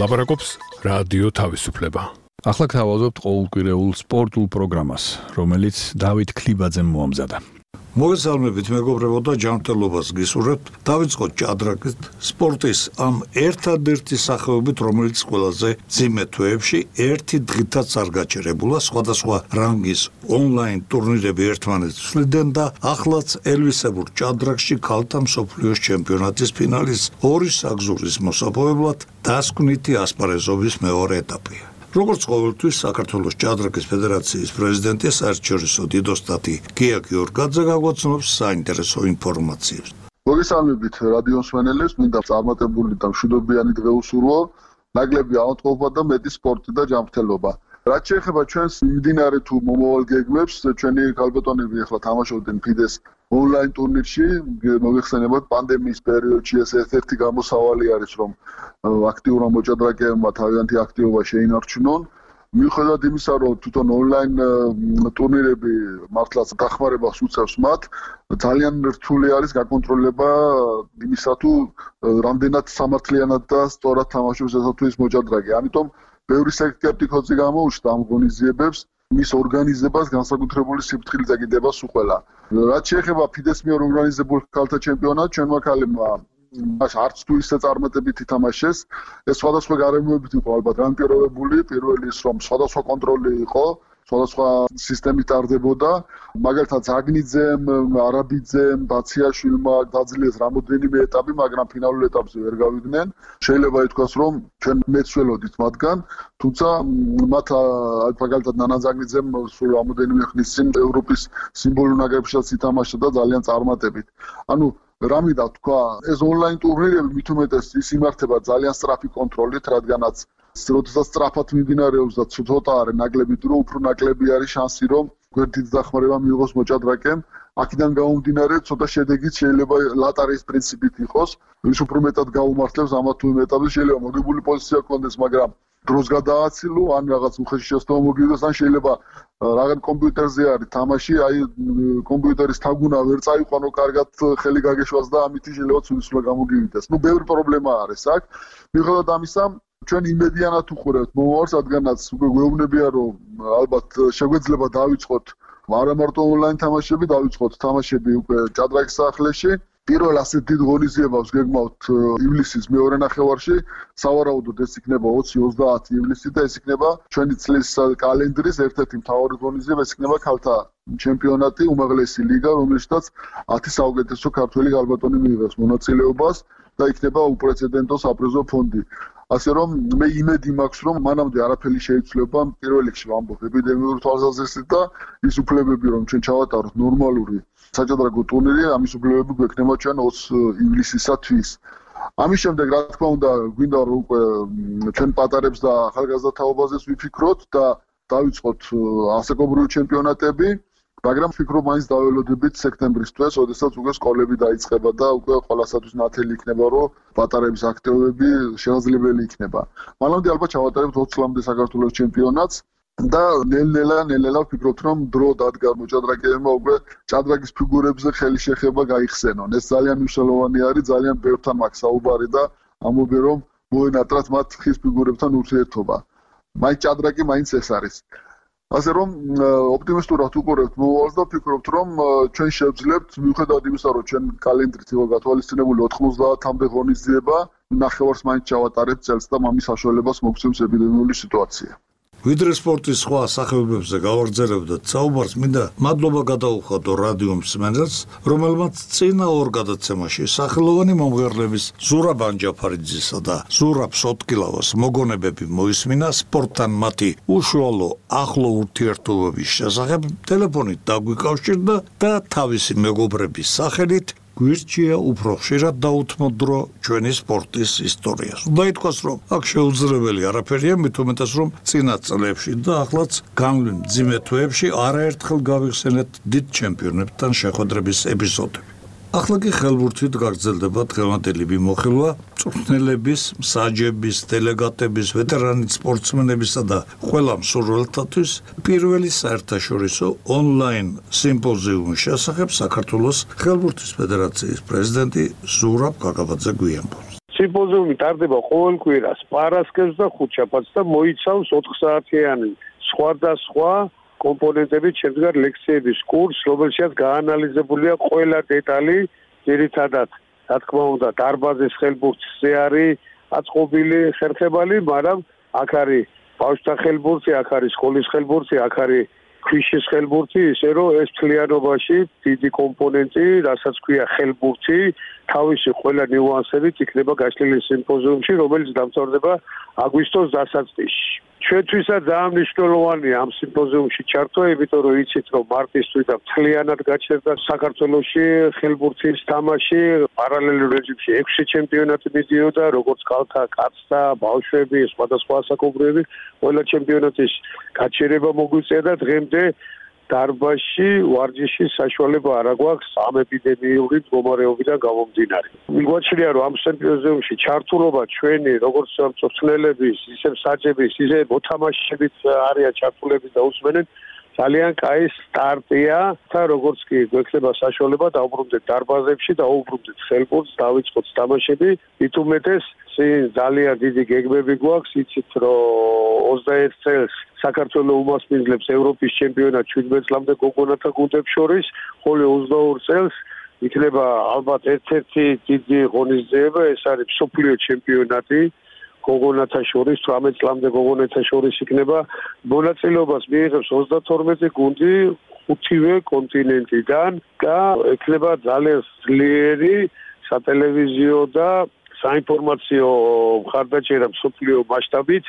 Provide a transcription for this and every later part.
ლაპარაკობს რადიო თავისუფლება. ახლა გთავაზობთ ყოველკვირეულ სპორტულ პროგრამას, რომელიც დავით ქლიბაძემ მოამზადა. მოგესალმებით მეგობრებო და ჯანმრთელობას გისურვებთ. დავიწყოთ ჭადრაკით, სპორტის ამ ერთადერთი სახეობით, რომელიც ყველაზე ძიმე თვეებში ერთი დღითაც არ გაჩერებულა, სხვადასხვა რანგის ონლაინ ტურნირები ერთმანეთს ცვლიდნენ და ახლაც ელვისებურ ჭადრაკში ქალთა მსოფლიოს ჩემპიონატის ფინალის ორი საგზურის მოსაპოვებლად დასკვნითი ასპარეზობის მეორე ეტაპია. როგორც ყოველთვის საქართველოს ჭადრაკის ფედერაციის პრეზიდენტი საერთაშორისო დიდოსტატი გია გიორგაძე გაგვაცნობს საინტერესო ინფორმაციებს. მოგესალმებით რადიო მსმენელებს, მინდა წარმატებული და მშვიდობიანი დღე უსურვო, ნაკლები ავადმყოფობა და მეტი სპორტი და ჯანმრთელობა. რაც შეეხება ჩვენს მიმდინარე თუ მომავალ გეგმებს, ჩვენი ქალბატონები ახლა თამაშობდნენ ფიდეს ონლაინ ტურნირში, მოიხსენებათ პანდემიის პერიოდში ეს ერთ-ერთი გამოსავალი არის, რომ აქტიურმა მოჭადრაკეებმა თავიანთი აქტივობა შეინარჩუნონ. მიუხედავად იმისა, რომ თვითონ ონლაინ ტურნირები მართლაც დახმარებას უწევს მათ, ძალიან რთული არის გაკონტროლება იმისა, თუ რამდენად სამართლიანად და სწორად თამაშობს ესა თუ ის მოჭადრაკე. ამიტომ ბევრი სკეპტიკოსი გამოუჩნდა ამ ღონისძიებებს, მის ორგანიზებას განსაკუთრებული სიფრთხილით ეკიდება სუყველა. რაც შეეხება ფიდეს მიერ ორგანიზებულ ქალთა ჩემპიონატს, ჩვენმა ქალებმა არც თუ ისე წარმატებით ითამაშეს. ეს სხვადასხვა გარემოებით იყო ალბათ განპირობებული, პირველი ის რომ სხვადასხვა კონტროლი იყო, სხვადასხვა სისტემით ტარდებოდა, მაგალითად ზაგნიძემ, არაბიძემ, ბაციაშვილმა დაძლეს რამოდენიმე ეტაპი, მაგრამ ფინალურ ეტაპზე ვერ გავიდნენ. შეიძლება ითქვას, რომ ჩვენ მეცველოდით მათგან, თუმცა მათ მაგალითად ნანა ზაგნიძემ სულ რამოდენიმე ხნის წინ ევროპის სიმბოლურ ნაკრებშიც ითამაშა და ძალიან წარმატებით. ანუ რა მინდა თქვა, ეს ონლაინ ტურნირები მით უმეტეს ის იმართება ძალიან სწრაფი კონტროლით, რადგანაც როდესაც სწრაფად მიმდინარეობს და ცოტა არის ნაკლები დრო, უფრო ნაკლები არის შანსი, რომ გვერდით დახმარება მიიღოს მოჭადრაკემ. აქედან გამომდინარე, ცოტა შედეგიც შეიძლება ლატარიის პრინციპით იყოს, ვის უფრო მეტად გაუმართლებს ამა თუ იმ ეტაპზე, შეიძლება მოგებული პოზიცია გქონდეს, მაგრამ დროს გადააცილო, ან რაღაც უხეში შეცდომა მოგივიდეს, ან შეიძლება რაღაც კომპიუტერზე არის თამაში, აი კომპიუტერის თაგუნა ვერ წაიყვანო კარგად ხელი გაგეშვას და ამითი შეიძლება ცუდისულა გამოგივიდეს. ბევრი პრობლემა არის აქ. მიუხედავად ამისა, ჩვენ იმედიანად უყურებთ მომავალს, რადგანაც უკვე გვეუბნებია, რომ ალბათ შეგვეძლება დავიწყოთ არა მარტო ონლაინ თამაშები, დავიწყოთ თამაშები უკვე ჭადრაკის სახლში. პირველ ასეთ დიდ ღონისძიებას გეგმავთ ივლისის მეორე ნახევარში, სავარაუდოდ ეს იქნება 20-30 ივლისი და ეს იქნება ჩვენი წლის კალენდრის ერთ-ერთი მთავარი ღონისძიება, ეს იქნება ქალთა ჩემპიონატი, უმაღლესი ლიგა, რომელშიც 10 საუკეთესო ქართველი ქალბატონი მიიღებს მონაწილეობას და იქნება უპრეცედენტო საპრიზო ფონდი. ასე რომ მე იმედი მაქვს, რომ მანამდე არაფერი შეიცვლება, პირველ რიგში ვამბობ ეპიდემიური თვალსაზრისით და ის უფლებები, რომ ჩვენ ჩავატაროთ ნორმალური საჭადრაკო ტურნირი, ამის უფლებები გვექნება ჩვენ 20 ივლისისათვის. ამის შემდეგ, რა თქმა უნდა, გვინდა რომ უკვე ჩვენ პატარებს და ახალგაზრდა თაობაზეც ვიფიქროთ და დავიწყოთ ასაკობრივი ჩემპიონატები, მაგრამ ვფიქრობ, მაინც დაველოდებით სექტემბრის თვეს, როდესაც უკვე სკოლები დაიწყება და უკვე ყველასათვის ნათელი იქნება, რომ პატარების აქტივობები შესაძლებელი იქნება. მანამდე ალბათ ჩავატარებთ 20 წლამდე საქართველოს ჩემპიონატს და ნელ-ნელა ვფიქრობთ, რომ დრო დადგა მოჭადრაკეებმა უკვე ჭადრაკის ფიგურებზე ხელი შეხება გაიხსენონ. ეს ძალიან მნიშვნელოვანი არის, ძალიან ბევრთან მაქვს საუბარი და ამბობენ, რომ მოენატრათ მათ ხის ფიგურებთან ურთიერთობა. მაინც ჭადრაკი მაინც ეს არის. ასე რომ ოპტიმისტურად უყურებთ მომავალს და ვფიქრობთ, რომ ჩვენ შევძლებთ, მიუხედავად იმისა, რომ ჩვენ კალენდრით იყო გათვალისწინებული 90-მდე ღონისძიება, ნახევარს მაინც ჩავატარებთ წელს და ამის საშუალებას მოგცემს ეპიდემიური სიტუაცია. ვიდრე სპორტის სხვა სახეობებზე გავაგრძელებდეთ საუბარს, მინდა მადლობა გადაუხადო რადიო მსმენელს, რომელმაც წინა ორ გადაცემაში სახელოვანი მომღერლების ზურაბ ანჯაფარიძისა და ზურაბ სოტკილავას მოგონებები მოისმინა სპორტთან მათი უშუალო ახლო ურთიერთობების შესახებ ტელეფონით დაგვიკავშირდა და თავისი მეგობრების სახელით გვირჩია უფრო ხშირად დაუთმოთ დრო ჩვენი სპორტის ისტორიას. უნდა ითქვას, რომ აქ შეუძლებელი არაფერია, მით უმეტეს, რომ წინა წლებში და ახლაც განვლილ მძიმე თვეებში არაერთხელ გავიხსენეთ დიდ ჩემპიონებთან შეხვედრების ეპიზოდები. ახლა კი ხელბურთით გაგრძელდება დღევანდელი მიმოხილვა მწვრთნელების, მსაჯების, დელეგატების, ვეტერანი სპორტსმენებისა და ყველა მსურველთათვის პირველი საერთაშორისო ონლაინ სიმპოზიუმის შესახებ საქართველოს ხელბურთის ფედერაციის პრეზიდენტი ზურაბ გაგაბაძე გვიამბობს. სიმპოზიუმი ტარდება ყოველ კვირას, პარასკევს და ხუთშაბათს და მოიცავს 4 საათიანი სხვადასხვა კომპონენტებით შემდგარ ლექციების კურსს, რომელშიც გაანალიზებულია ყველა დეტალი, ძირითადად, რა თქმა უნდა, დარბაზის ხელბურთზე არის აწყობილი ხერხებალი, მაგრამ აქ არის ბავშვთა ხელბურთი, აქ არის სკოლის ხელბურთი, აქ არის ქვიშის ხელბურთი, ისე რომ ეს მთლიანობაში დიდი კომპონენტი, რასაც ქვია ხელბურთი, თავისი ყველა ნიუანსებით იქნება გაშლილი სიმპოზიუმში, რომელიც დამთავრდება აგვისტოს დასაწყისში. ჩვენთვისაც ძალიან მნიშვნელოვანია ამ სიმპოზიუმში ჩართვა, იმიტომ რომ იცით, რომ მარტისთვის და მთლიანად გაჩერდა საქართველოში ხელბურთის თამაში, პარალელურ რეჟიმში 6 ჩემპიონატი მიდიოდა, როგორც ქალთა, კაცთა, ბავშვები, სხვადასხვა ასაკობრივები, ყველა ჩემპიონატის გაჩერება მოგვიწია და დღემდე დარბაზში ვარჯიშის საშუალება არ აქვს ამ ეპიდემიური მდგომარეობიდან გამომდინარე. მიგვაჩნია, რომ ამ სიმპოზიუმში ჩართულობა ჩვენი, როგორც მწვრთნელების, ისე მსაჯების, ისე მოთამაშეების არიან ჩართულები და უსმენენ ძალიან კაი სტარტია და როგორც კი გვექნება საშუალება დავბრუნდეთ დარბაზებში და უბრუნდეთ ხელბურთს, დავიწყოთ თამაშები, მით უმეტეს ძალიან დიდი გეგმები გვაქვს, იცით რომ 21 წელს საქართველოს უმასპინძლებს ევროპის ჩემპიონატ 17 წლამდე გოგონათა გუნდებს შორის, ხოლო 22 წელს იქნება ალბათ ერთ-ერთი დიდი ღონისძიება, ეს არის მსოფლიო ჩემპიონატი გოგონათა შორის, 18 წლამდე გოგონათა შორის იქნება მონაწილეობას მიიღებს 32 გუნდი 5-ვე კონტინენტიდან და იქნება ძალიან ძლიერი სატელევიზიო და საინფორმაციო მხარდაჭერა მსოფლიო მასშტაბით,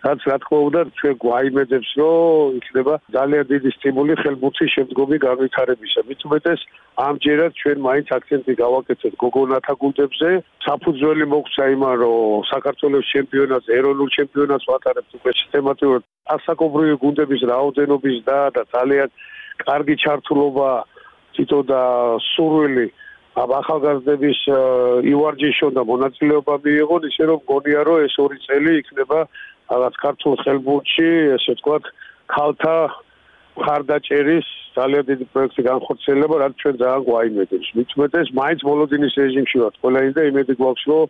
რაც რა თქმა უნდა ჩვენ გვაიმედებს, რომ იქნება ძალიან დიდი სტიმული ხელბურთის შემდგომი განვითარებისა. მით უმეტეს ამჯერად ჩვენ მაინც აქცენტი გავაკეთეთ გოგონათა გუნდებზე. საფუძველი მოგვცა იმან, რომ საქართველოს ჩემპიონატს, ეროვნულ ჩემპიონატს ვატარებთ უკვე სისტემატურად ასაკობრივი გუნდების რაოდენობის და ძალიან კარგი ჩართულობა თითო და სურვილი ახალგაზრდების ივარჯიშონ და მონაწილეობა მიიღონ, ისე რომ მგონია, რომ ეს 2 წელი იქნება რაღაც ქართულ ხელბურთში, ესე ვთქვათ, ქალთა მხარდაჭერის ძალიან დიდი პროექტი განხორციელება, რაც ჩვენ ძალიან გვაიმედებს. მით უმეტეს, მაინც მოლოდინის რეჟიმში ვართ ყველანი და იმედი გვაქვს, რომ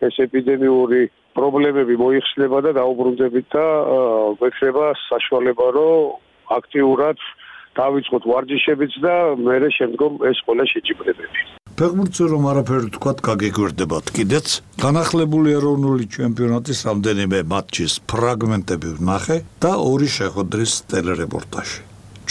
ეს ეპიდემიური პრობლემები მოიხსნება და დაუბრუნდებით და გვექნება საშუალება, რომ აქტიურად დავიწყოთ ვარჯიშებიც და მერე შემდგომ ეს ყველა შეჯიბრებები. ფეხბურთზე რომ არაფერი თქვათ, გაგიგვერდებათ კიდეც. განახლებული ეროვნული ჩემპიონატის რამდენიმე მატჩის ფრაგმენტები ვნახე და 2 შეხვედრის ტელერეპორტაჟი.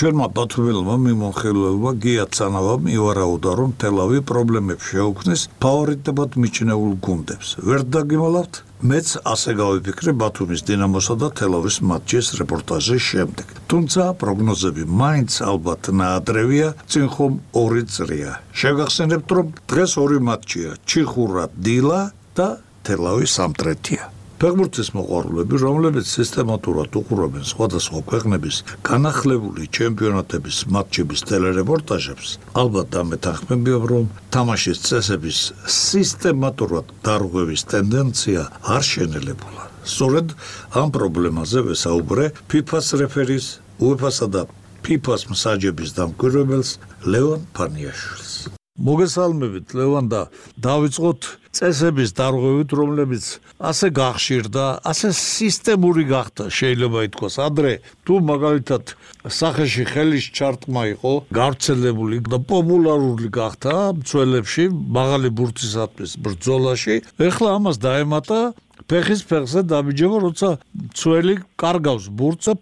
ჩვენმა ბათუმელმა მიმოხილველმა გია ცანავამ ივარაუდა, რომ თელავი პრობლემებს შეუქმნის ფავორიტებად მიჩნეულ გუნდებს. ვერ დაგიმალავთ? მეც ასე გავიფიქრე ბათუმის დინამოსა და თელავის მატჩის რეპორტაჟის შემდეგ. თუმცა პროგნოზები მაინც ალბათ ნაადრევია, წინ ხომ 2 წრია. შეგახსენებთ, რომ დღეს 2 მატჩია: ჩიხურა დილა და თელავი სამტრეთია. ფეხბურთის მოყვარულები, რომლებიც სისტემატურად უყურებენ სხვადასხვა ქვეყნების განახლებული ჩემპიონატების მატჩების ტელერეპორტაჟებს, ალბათ დამეთანხმებიან, რომ თამაშის წესების სისტემატურად დარღვევის ტენდენცია არ შენელებულა. სწორედ ამ პრობლემაზე ვესაუბრე FIFA-ს რეფერის, UEFA-სა და FIFA-ს მსაჯების დამკვირვებელს ლევან ფანიაშვილს. მოგესალმებით ლევან და დავიწყოთ წესების დარღვევით, რომლებიც ასე გახშირდა, ასე სისტემური გახდა, შეიძლება ითქვას. ადრე თუ მაგალითად სახეში ხელის ჩარტყმა იყო გავრცელებული და პოპულარული გახდა მცველებში, მაღალი ბურთისათვის ბრძოლაში, ეხლა ამას დაემატა ფეხის ფეხზე დაბიჯება, როცა მცველი კარგავს ბურთს და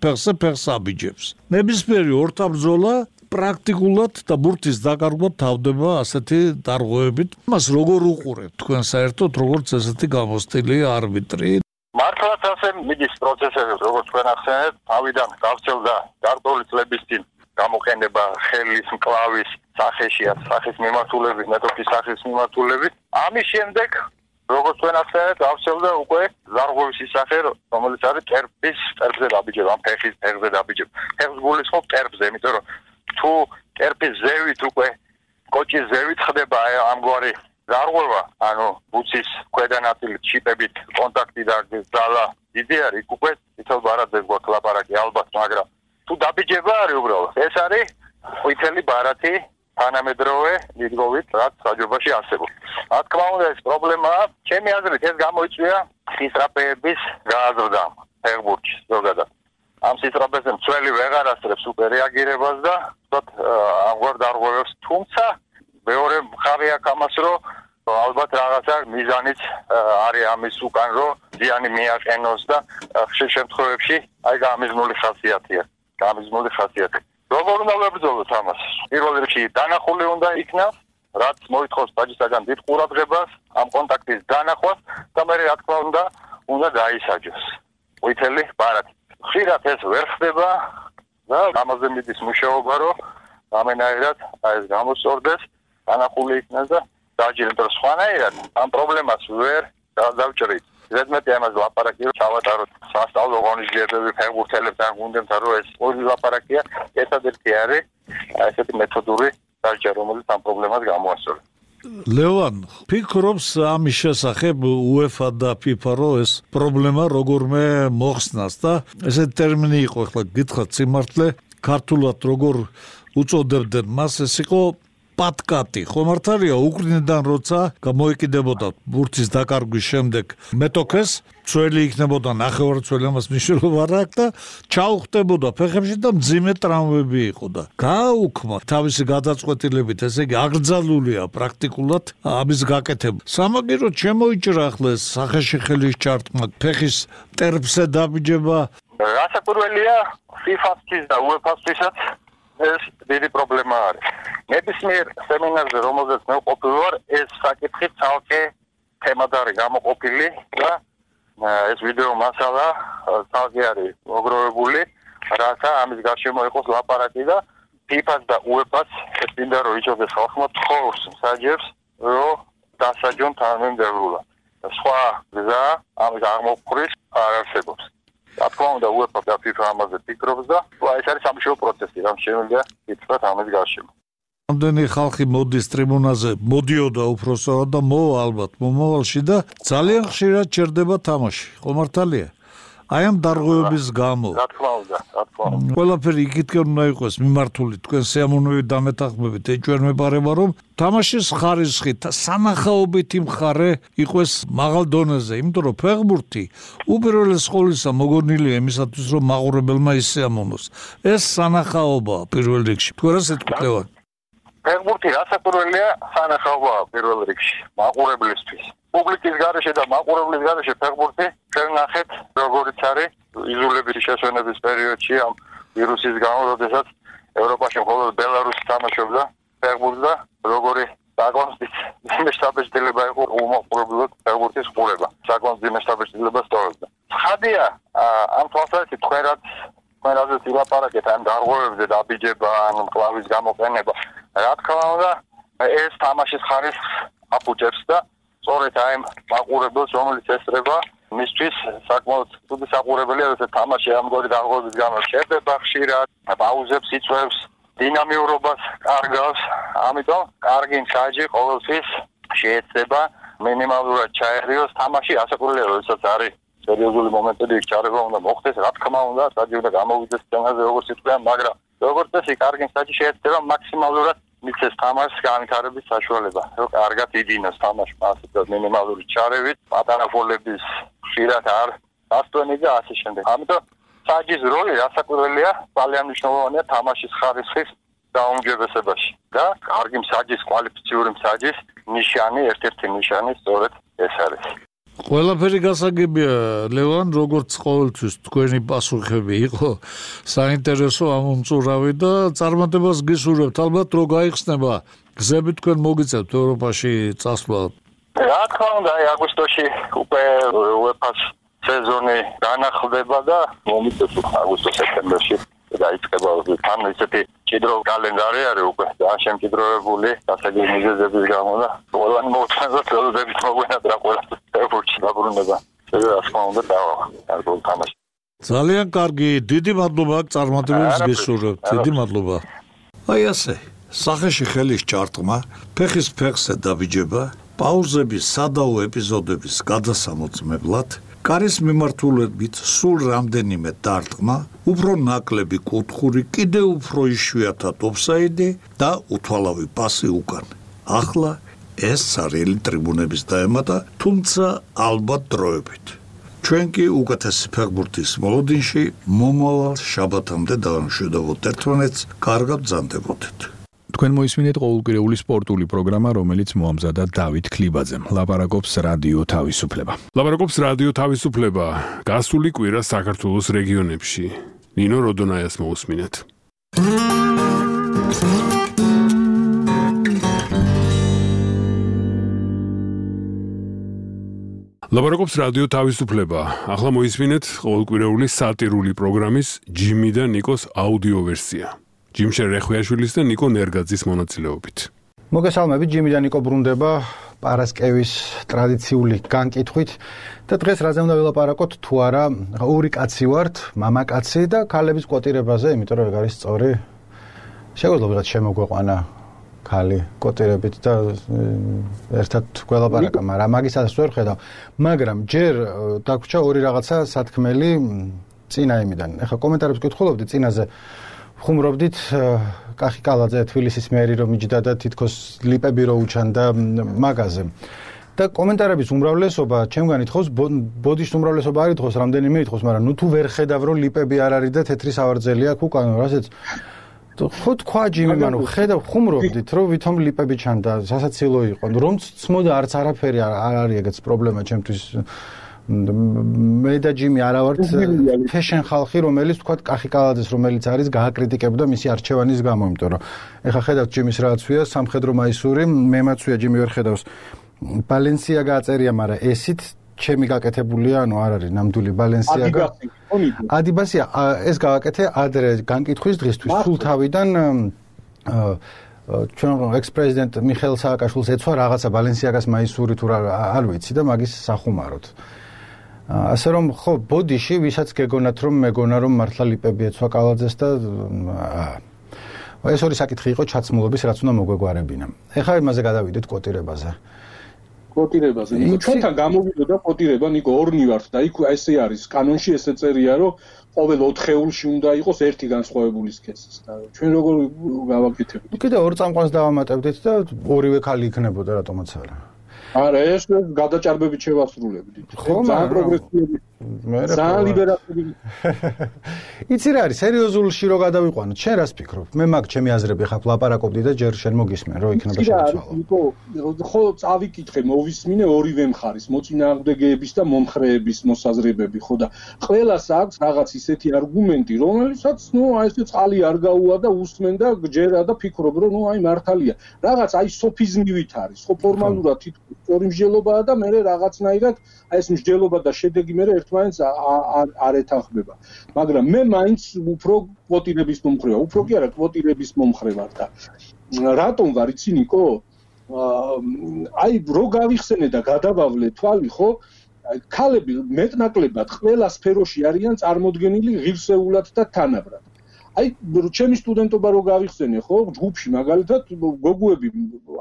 ფეხს აბიჯებს. ნებისმიერი ორთაბრძოლა პრაქტიკულად და ბურთის დაკარგვა თავდება ასეთი დარღვევებით. მას როგორ უყურებთ თქვენ საერთოდ, როგორც ესეთი გამოსტილი არბიტრი? მართლაც ასე მიდის პროცესები, როგორც თქვენ ახსენეთ, თავიდან გავრცელდა გარკვეული წლების წინ გამოყენება ხელის მკლავის სახეში, სახის მიმართულებით, მეტოქის სახის მიმართულებით. ამის შემდეგ, როგორც თქვენ ახსენეთ, გავრცელდა უკვე დარღვევის სახე, რომელიც არის ტერფზე დაბიჯება, ამ ფეხის ფეხზე დაბიჯება. ფეხს გულისხმობ ტერფზე, იმიტომ რომ თუ ტერფის ზევით უკვე კოჭის ზევით ხდება ამგვარი დარღვევა, ანუ ბუცის ქვედა ნაწილით ჩიპებით კონტაქტი და ძალა დიდი არის, უკვე თითოეულ ბარათზე გვაქვს ლაპარაკი ალბათ, მაგრამ თუ დაბიჯება არის უბრალოდ, ეს არის ყვითელი ბარათი თანამედროვე მიდგომით, რაც საჯობაში არსებობს. რა თქმა უნდა, ეს პრობლემაა. ჩემი აზრით, ეს გამოიწვია სისწრაფეების გააზრდამ ფეხბურთში ზოგადად. ამ სისწრაფეზე მცველი ვეღარ ასწრებს უპერეაგირებას და ამგვარ დარღვევებს, თუმცა მეორე მხარე აქვს ამას, რომ ალბათ რაღაცა მიზანიც არის ამის უკან, რომ ზიანი მიაყენოს და ხშირ შემთხვევებში აი გამიზნული ხასიათია. როგორ უნდა ვებრძოლოთ ამას? პირველ რიგში დანახული უნდა იქნას, რაც მოითხოვს ბაჯისაგან დიდ ყურადღებას, ამ კონტაქტის დანახვას და მე რა თქმა უნდა დაისაჯოს. ყვითელი ბარათი. ხშირად ეს ვერ ხდება და ამაზე მიდის მუშაობა, რომ ამენაირად ეს გამოსწორდეს, დანახული იქნას და დაჯეროს სხვანაირად ამ პრობლემას ვერ დავჭრით. ზედმეტი ამას ლაპარაკი რომ ჩავატაროთ სასწავლო ღონისძიებები ფეხბურთელებთან გუნდებთან, რომ ეს ორი ლაპარაკია, ერთადერთი არის ესეთი მეთოდური დაჯერა, რომელიც ამ პრობლემას გამოასწორებს. ლევან, ფიქრობს ამის შესახებ UEFA და FIFA, რომ ეს პრობლემა როგორმე მოხსნას და ესეთი ტერმინი იყო, ახლა გითხრათ სიმართლე, ქართულად როგორ უწოდებდნენ მას, ეს იყო პატკატი, ხომ არ თარია უკრინიდან როცა გამოიკიდებოდა ბურთის დაკარგვის შემდეგ მეტოქეს, წველი იქნებოდა ნახევარწველი, ამას მნიშვნელობა არ აქვს და ჩაუხდებოდა ფეხებში და მძიმე ტრავმები იყო და გააუქმა თავისი გადაწყვეტილებით, ესე იგი აკრძალულია პრაქტიკულად ამის გაკეთება. სამაგიეროდ შემოიჭრა ახლა ეს სახეში ხელის ჩარტყმა, ფეხის ტერფზე დაბიჯება. რასაკვირველია FIFA-თვის და UEFA-თვისაც ეს დიდი პრობლემა არის. ნებისმიერ სემინარზე, რომელზეც მე ვყოფილი ვარ, ეს საკითხი ცალკე თემად არის გამოყოფილი და ეს ვიდეო მასალა ცალკე არის მოგროვებული, რათა ამის გარშემო იყოს ლაპარაკი და FIFA-ს და UEFA-ს ეს მინდა რომ იცოდეს ხალხმა თხოვს მსაჯებს, რომ დასაჯონ თანამემდევრულად. სხვა გზა ამის აღმოფხვრით არ არსებობს. რა თქმა უნდა, UEFA და FIFA ამაზე ფიქრობს და ეს არის სამშობლო პროცესი, რამ შემიძლია ითქვათ ამის გარშემო. ამდენი ხალხი მოდის ტრიბუნაზე, მოდიოდა უпроსოდ და მოვა ალბათ მომავალში და ძალიან ხშირად ჩერდება თამაში. ხომ მართალია? აი ამ დარღვევების გამო. რა თქმა უნდა. ყველაფერი იქითკენ უნდა იყოს მიმართული თქვენ სიამოვნებით დამეთანხმებით ეჭვმეპარება, რომ თამაშის ხარისხი სანახაობითი მხარე იყოს მაღალ დონეზე, იმიტომ რომ ფეხბურთი უპირველეს ყოვლისა მოგონილია იმისათვის, რომ მაყურებელმა ისიამოვნოს. ეს სანახაობაა პირველ რიგში. თქვენ რა სიტყვით? ფეხბურთი რასაკვირველია სანახაობაა პირველ რიგში მაყურებლისთვის. პუბლიკის გარეშე და მაყურებლის გარეშე ფეხბურთი ჩვენ ნახეთ როგორიც არის იზოლების შესვენების პერიოდში ამ ვირუსის გამო, როდესაც ევროპაში მხოლოდ ბელარუსი თამაშობდა ფეხბურთს და როგორი საკონსტიტუციო მაშტაბეჭდილება იყო უმოყრებლად ფეხბურთის ყურება. საკონსტიტუციო მაშტაბეჭდილება სწორობდა. ხადია ამ თვალსაზრისით თქვენ რაზეც ილაპარაკეთ ამ დარღვევებზე დაბიჯება, ან მკლავის გამოყენება. რა თქმა უნდა, ეს თამაშის ხარისხს აფუჭებს და სწორედ აი მაყურებელს, რომელიც ესწრება, მისთვის საკმაოდ ცუდი საყურებელია, როცა თამაში ამგვარი დარღვევების გამო ჩერდება ხშირად, პაუზებს იწვევს, დინამიურობას კარგავს, ამიტომ კარგი მსაჯი ყოველთვის შეეცდება მინიმალურად ჩაერიოს თამაში, ასაკურველია, როდესაც არის სერიოზული მომენტები, ჩარება უნდა მოხდეს, რა თქმა უნდა, საჯი უნდა გამოვიდეს სცენაზე, როგორც იტყვიან, მაგრამ როგორც წესი, კარგი მსაჯი შეეცდება მაქსიმალურად მიცეს თამაშს განვითარების საშუალება, რომ კარგად იდინოს თამაში, მასე მინიმალური ჩარევით, პატარა ფოლების ხშირად არ დასტვენი და ასე შემდეგ. ამიტომ საჯის როლი რასაკვირველია, ძალიან მნიშვნელოვანია თამაშის ხარისხის დაუმჯობესებაში და კარგი მსაჯის, კვალიფიციური მსაჯის ნიშანი, ერთ-ერთი ნიშანი სწორედ ეს არის. ყველაფერი გასაგებია, ლევან, როგორც ყოველთვის თქვენი პასუხები იყო საინტერესო, ამომწურავი და წარმატებას გისურვებთ. ალბათ რო გაიხსნება გზები თქვენ მოგიწევთ ევროპაში წასვლა. რა თქმა უნდა, აგვისტოში უკვე UEFA-ს სეზონი განახლდება და მომიწევს აგვისტო-სექტემბერში დაიწყება თან ისეთი ჭიდრო კალენდარი არის უკვე და შემჭიდროვებული გასაგები მიზეზების გამო და ყველანი მოუწევს ხელოდებით მოგვენატრა ყველა ფეხბურთში დაბრუნება. რა თქმა უნდა დავაღო თამაში. ძალიან კარგი, დიდი მადლობა წარმატებებს გისურვებთ. დიდი მადლობა. აი ასე, სახეში ხელის ჩარტყმა, ფეხის ფეხზე დაბიჯება, პაუზების სადაო ეპიზოდების გადასამოწმებლად კარის მიმართულებით სულ რამდენიმე დარტყმა, უფრო ნაკლები კუთხური, კიდევ უფრო იშვიათად ოფსაიდი და უთვალავი პასი უკან. ახლა ეს სარიელი ტრიბუნების დაემატა, თუმცა ალბათ დროებით. ჩვენ კი უკეთესი ფეხბურთის მოლოდინში მომავალ შაბათამდე დავამშვიდობოთ ერთმანეთს, კარგად ბრძანდებოდეთ. თქვენ მოისმინეთ ყოველკვირეული სპორტული პროგრამა, რომელიც მოამზადა დავით ქლიბაძემ. ლაპარაკობს რადიო თავისუფლება. ლაპარაკობს რადიო თავისუფლება. გასული კვირა საქართველოს რეგიონებში. ნინო როდონაიას მოусმინეთ. ლაპარაკობს რადიო თავისუფლება. ახლა მოისმინეთ ყოველკვირეული სატირული პროგრამის ჯიმი და ნიკოს აუდიო ვერსია. ჯიმშენ რეხვიაშვილის და ნიკო ნერგაძის მონაწილეობით. მოგესალმებით, ჯიმი და ნიკო ბრუნდება პარასკევის ტრადიციული განკითხვით და დღეს რაზე უნდა ვილაპარაკოთ თუ არა, ორი კაცი ვართ, მამაკაცი და ქალების კვოტირებაზე, იმიტომ რომ ეგ არის სწორი. შეგვიძლია ვიღაც შემოგვეყვანა ქალი კვოტირებით და ერთად გველაპარაკა, მაგრამ მაგისაც ვერ ხედავ. მაგრამ ჯერ დაგვრჩა ორი რაღაცა სათქმელი წინა იმიდან. ეხლა კომენტარებს გკითხულობდი წინაზე ხუმრობდით კახი კალაძე თბილისის მერი რომ იჯდა და თითქოს ლიპები რო უჩანდა მაგაზე. და კომენტარების უმრავლესობა ჩემგან ითხოვს, ბოდიშის უმრავლესობა არ ითხოვს, რამდენიმე ითხოვს, მაგრამ ნუ თუ ვერ ხედავ რომ ლიპები არ არის და თეთრი სავარძელი აქვს უკან, რასაც ხო თქვა ჯიმი, მანუ ხედავ ხუმრობდით რომ ვითომ ლიპები ჩანდა, სასაცილო იყო. რომ ცმოდა არც არაფერი არ არის ეგეც პრობლემა ჩემთვის. მე და ჯიმი არა ვართ ფეშენ ხალხი, რომელიც თქვა კახი კალაძეს, რომელიც არის გააკრიტიკებდა მისი არჩევანის გამო, იმიტომ რომ ეხა ხედავთ ჯიმის რაღაცია, სამხედრო მაისური, მე მაცვია ჯიმი ვერ ხედავს. ბალენსია გააწერია, მაგრამ ესით ჩემი გაკეთებულია, ანუ არ არის ნამდვილი ბალენსიაგა. ადიბასია, ეს გავაკეთე ადრე განკითხვის დღისთვის, სულ თავიდან ჩვენ ექს-პრეზიდენტ მიხეილ სააკაშვილს ეცვა რაღაცა ბალენსიაგას მაისური თუ არ ვიცი და მაგის სახუმაროთ. ასე რომ ხო ბოდიში ვისაც გეგონათ რომ მეგონა რომ მართლა ლიპები ეცვა კალაძეს და ეს ორი საკითხი იყო ჩაცმულობის რაც უნდა მოგვეგვარებინა. ეხლა იმაზე გადავიდეთ კვოტირებაზე. კვოტირებაზე. ჩვენთან გამოვიდოდა კვოტირება, ნიკო ორნი ვართ და იქ ესე არის კანონში ესე წერია რომ ყოველ 4 ხეულში უნდა იყოს ერთი განსხვავებული სქესი და ჩვენ როგორ გავაკეთებთ? კიდე ორ წამყვანს დავამატებდით და ორივე ქალი იქნებოდა რატომაც არა. არა, ეს გადაჭარბებით შევასრულებდით. ძალიან პროგრესიული. ძალიან ლიბერალური. იცი რა არის, სერიოზულში რო გადავიყვანოთ, შენ რას ფიქრობ? მე მაგ ჩემი აზრები ხარ ლაპარაკობდი და ჯერ შენ მოგისმენ, რომ იქნება შეცვალო. ნიკო, ხო წავიკითხე, მოვისმინე ორივე მხარის, მოწინააღმდეგეების და მომხრეების მოსაზრებები, ხო და ყველას აქვს რაღაც ისეთი არგუმენტი, რომელიცაც, ესე წყალი არ გაუვა და უსმენ და გჯერა და ფიქრობ, რომ აი მართალია. რაღაც აი სოფიზმივით არის, ხო ფორმალურად თითქოს სწორი მსჯელობაა და მე რაღაცნაირად აი ეს მსჯელობა და შედეგი მე ერთმანეთს არ ეთანხმება. მაგრამ მე მაინც უფრო კვოტირების მომხრე ვარ, უფრო კი არა კვოტირების მომხრე ვარ და რატომ ვარ იცი ნიკო? აი რო გავიხსენე და გადავავლე თვალი, ხო? ქალები მეტნაკლებად ყველა სფეროში არიან წარმოდგენილი ღირსეულად და თანაბრად. აი ჩემი სტუდენტობა რო გავიხსენე, ხო, ჯგუფში მაგალითად გოგოები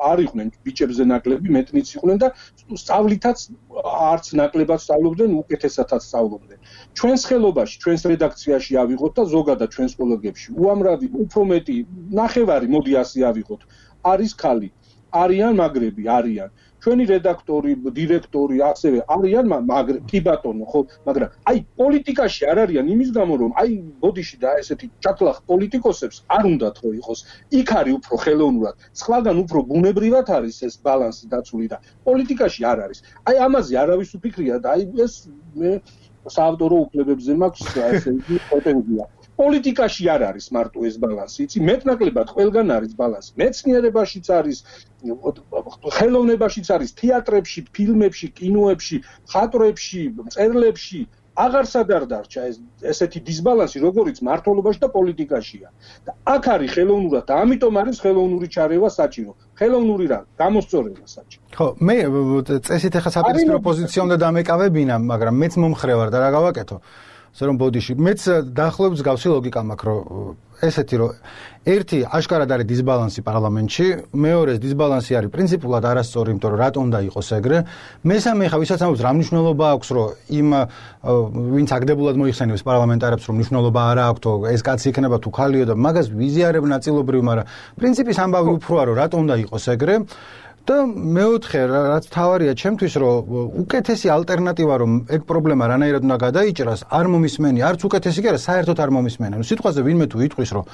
არ იყვნენ ბიჭებზე ნაკლები, მეტნიც იყვნენ და სწავლითაც არც ნაკლებად სწავლობდნენ, უკეთესადაც სწავლობდნენ. ჩვენს ხელობაში, ჩვენს რედაქციაში ავიღოთ და ზოგადად ჩვენს კოლეგებში უამრავი, უფრო მეტი, ნახევარი, მოდი ასე ავიღოთ, არის ქალი, არიან მაგრები, არიან. ჩვენი რედაქტორი, დირექტორი, ასევე არიან კი ბატონო, ხო, მაგრამ აი პოლიტიკაში არ არიან იმის გამო, რომ აი ბოდიში და ესეთი ჩაქლახ პოლიტიკოსებს არ უნდათ რომ იყოს. იქ არის უფრო ხელოვნურად, სხვაგან უფრო ბუნებრივად არის ეს ბალანსი დაცული და პოლიტიკაში არ არის. აი ამაზე არავის უფიქრია და აი ეს მე საავტორო უფლებებზე მაქვს ესე იგი პრეტენზია. პოლიტიკაში არ არის მარტო ეს ბალანსი, იცი, მეტნაკლებად ყველგან არის ბალანსი. მეცნიერებაშიც არის, ხელოვნებაშიც არის, თეატრებში, ფილმებში, კინოებში, მხატვრებში, მწერლებში, აღარსად არ დარჩა ესეთი დისბალანსი, როგორიც მართლობაში და პოლიტიკაშია. და აქ არის ხელოვნურად და ამიტომ არის ხელოვნური ჩარევა საჭირო. ხელოვნური რა, გამოსწორება საჭირო. ხო, მე წესით ახლა საპირისპირო პოზიციამდე დამეკავებინა, მაგრამ მეც მომხრე ვარ და რა გავაკეთო? ასე რომ ბოდიში მეც დაახლოებით გავსი ლოგიკა მაქვს რომ ესეთი რომ ერთი აშკარად არის დისბალანსი პარლამენტში, მეორეს დისბალანსი არის პრინციპულად არასწორი, იმიტომ რომ რატომ უნდა იყოს ეგრე. მესამე ხა ვისაც ამბობს რა მნიშვნელობა აქვს, რომ იმ ვინც აგდებულად მოიხსენებს პარლამენტარებს, რომ მნიშვნელობა არ აქვს, ეს კაცი იქნება თუ ხალიო და მაგას ვიზიარებ ნაწილობრივ, მაგრამ პრინციპის ამბავი უფროა, რომ რატომ უნდა იყოს ეგრე. და მეოთხე რაც თავარია ჩემთვის რომ უკეთესი ალტერნატივა რომ ეგ პრობლემა რანაირად უნდა გადაიჭრას არ მომისმენი არც უკეთესი კი არა საერთოდ არ მომისმენი ანუ სიტყვაზე ვინმე თუ იტყვის რომ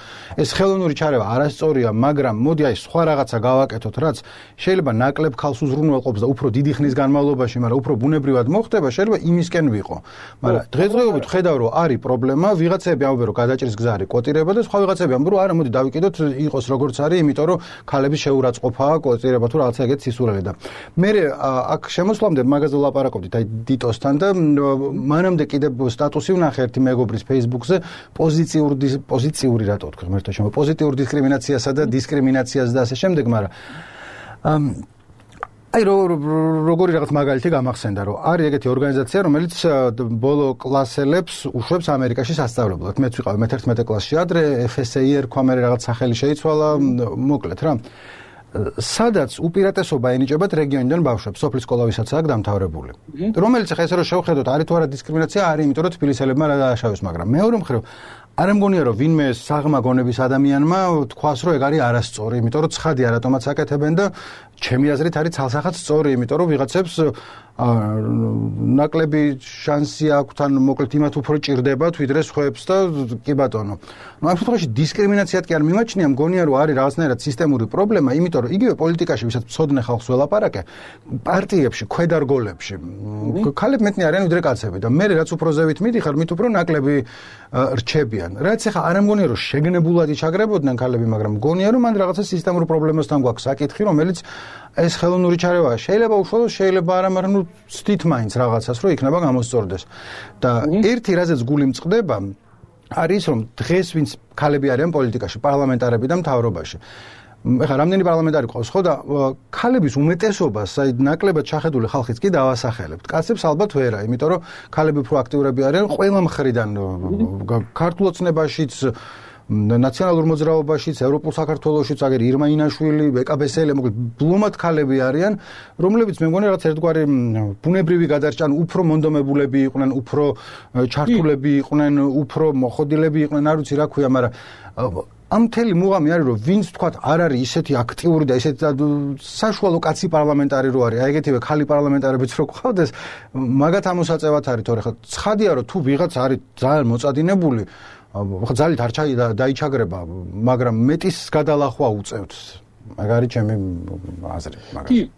ეს ხელოვნური ჩარევა არასწორია მაგრამ მოდი აი სხვა რაღაცა გავაკეთოთ რაც შეიძლება ნაკლებ ხალხს უზრუნველყოფს და უფრო დიდი ხნის განმავლობაში მაგრამ უფრო ბუნებრივად მოხდება შეიძლება იმისკენ ვიყო მაგრამ დღესდღეობით ხედავ რომ არის პრობლემა ვიღაცები ამბობენ რომ გადაჭრის გზა არის კვოტირება და სხვა ვიღაცები ამბობენ რომ არა მოდი დავიკიდოთ იყოს როგორც არის იმიტომ რომ ქალების შეურაცხყოფაა კვოტირება თუ რაღაცა ეგეთ სისულელე და მე აქ შემოსვლამდე მაგაზე ვლაპარაკობდით აი დიტოსთან და მანამდე კიდე სტატუსი ვნახე ერთი მეგობრის Facebook-ზე პოზიციური რატო ვთქვი ღმერთო შემო პოზიტიურ დისკრიმინაციასა და დისკრიმინაციას და ასე შემდეგ მაგრამ აი როგორი რაღაც მაგალითი გამახსენდა რომ არის ეგეთი ორგანიზაცია რომელიც ბოლო კლასელებს უშვებს ამერიკაში სასწავლებლად მეც ვიყავ მე-11 კლასში ადრე FSA ერქვა მე რაღაც სახელი შეიცვალა მოკლედ რა სადაც უპირატესობა ენიჭებათ რეგიონიდან ბავშვებს, სოფლის სკოლა ვისაც აქვს დამთავრებული. რომელიც ახლა ესე რომ შევხედოთ, არის თუ არა დისკრიმინაცია, არის, იმიტომ რომ თბილისელებმა რა დააშავეს, მაგრამ მეორე მხრივ არ მგონია რომ ვინმე საღმა გონების ადამიანმა თქვას რომ ეგ არის არასწორი, იმიტომ რომ ცხადია რატომაც აკეთებენ და ჩემი აზრით არის ცალსახად სწორი, იმიტომ რომ ვიღაცებს ნაკლები შანსი აქვს თან მოკლედ იმათ უფრო ჭირდებათ ვიდრე სხვებს და კი ბატონო. ნუ ამ შემთხვევაში დისკრიმინაციად კი არ მიმაჩნია, მგონია რომ არის რაღაცნაირად სისტემური პრობლემა, იმიტომ რომ იგივე პოლიტიკაში ვისაც მცოდნე ხალხს ველაპარაკე, პარტიებში, ქვედარგოლებში ქალები მეტნი არიან ვიდრე კაცები და მე რაც უფრო ზევით მიდიხარ, მით უფრო ნაკლები რჩებიან. რაც ახლა არ მგონია რომ შეგნებულად იჩაგრებოდნენ ქალები, მაგრამ მგონია რომ მან რაღაცა სისტემურ პრობლემასთან გვაქვს საკითხი, რომელიც ეს ხელოვნური ჩარევა შეიძლება უშუალოდ შეიძლება არა, მაგრამ ნუ ცდით მაინც რაღაცას რომ იქნება გამოსწორდეს. და ერთი რაზეც გული მწყდება არის რომ დღეს ვინც ქალები არიან პოლიტიკაში, პარლამენტარები და მთავრობაში. ეხლა რამდენი პარლამენტარი ყავს ხო და ქალების უმეტესობას, აი ნაკლებად ჩახედული ხალხიც კი დავასახელებთ. კაცებს ალბათ ვერა, იმიტომ რომ ქალები უფრო აქტიურები არიან ყველა მხრიდან ქართულ ოცნებაშიც ნაციონალურ მოძრაობაშიც, ევროპულ საქართველოშიც, აგერ ირმა ინაშვილი, ეკაბესელი, მოკლედ ბლომად ქალები არიან, რომლებიც მე მგონი რაღაც ერთგვარი ბუნებრივი გადარჭან, უფრო მონდომებულები იყვნენ, უფრო ჩართულები იყვნენ, უფრო მოხოდილები იყვნენ, არ ვიცი რა ქვია, მაგრამ ამ მთელი მუღამი არის რომ ვინც თქვათ არ არის ისეთი აქტიური და ისეთი საშუალო კაცი პარლამენტარი რო არის, აი ეგეთივე ქალი პარლამენტარებიც რო ყავდეს, მაგათ ამოსაწევად არის, თორე ხო ცხადია რომ თუ ვიღაც არის ძალიან მოწადინებული ხო ძალით არ დაიჩაგრება, მაგრამ მეტის გადალახვა უწევთ. მაგ არის ჩემი აზრი, მაგრამ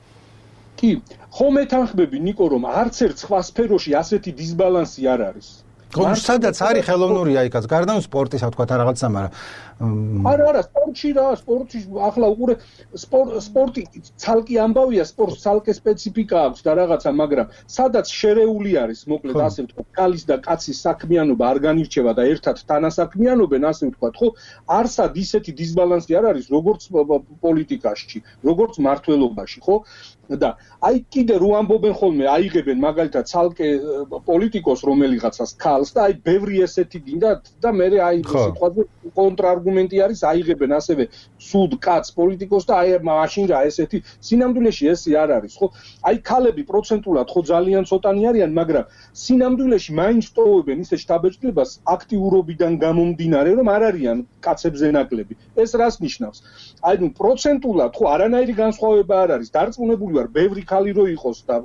კი, ხო მეთანხმები ნიკო რომ არც ერთ სხვა სფეროში ასეთი დისბალანსი არ არის. ხო, სადაც არის ხელოვნურია იქაც, გარდა სპორტისა თქვა რაღაცა, მაგრამ არა, სპორტში რა, სპორტში ახლა უყურე სპორტი ცალკე ამბავია, სპორტს ცალკე სპეციფიკა აქვს და რაღაცა, მაგრამ სადაც შერეული არის, მოკლედ ასე ვთქვათ, ქალის და კაცის საქმიანობა არ განირჩევა და ერთად თანასაქმიანობენ, ასე ვთქვათ, ხო, არსად ისეთი დისბალანსი არ არის, როგორც პოლიტიკაში, როგორც მმართველობაში, ხო? და აი კიდე რო ამბობენ ხოლმე, აიღებენ მაგალითად ცალკე პოლიტიკოს რომელიღაცას ქალს და აი ბევრი ესეთი გინდათ და მე აი სიტყვაზე კონტრარგუმენტი არის, აიღებენ ასევე სუდ კაც პოლიტიკოს და აი მაშინ რა ესეთი სინამდვილეში ესე არ არის, ხო? აი ქალები პროცენტულად ხო ძალიან ცოტანი არიან, მაგრამ სინამდვილეში მაინც ტოვებენ ისე შთაბეჭდილებას აქტიურობიდან გამომდინარე, რომ არ არიან კაცებზე ნაკლები. ეს რას ნიშნავს? აი ნუ პროცენტულად ხო არანაირი განსხვავება არ არის, დარწმუნებული ვარ, ბევრი ქალი რო იყოს და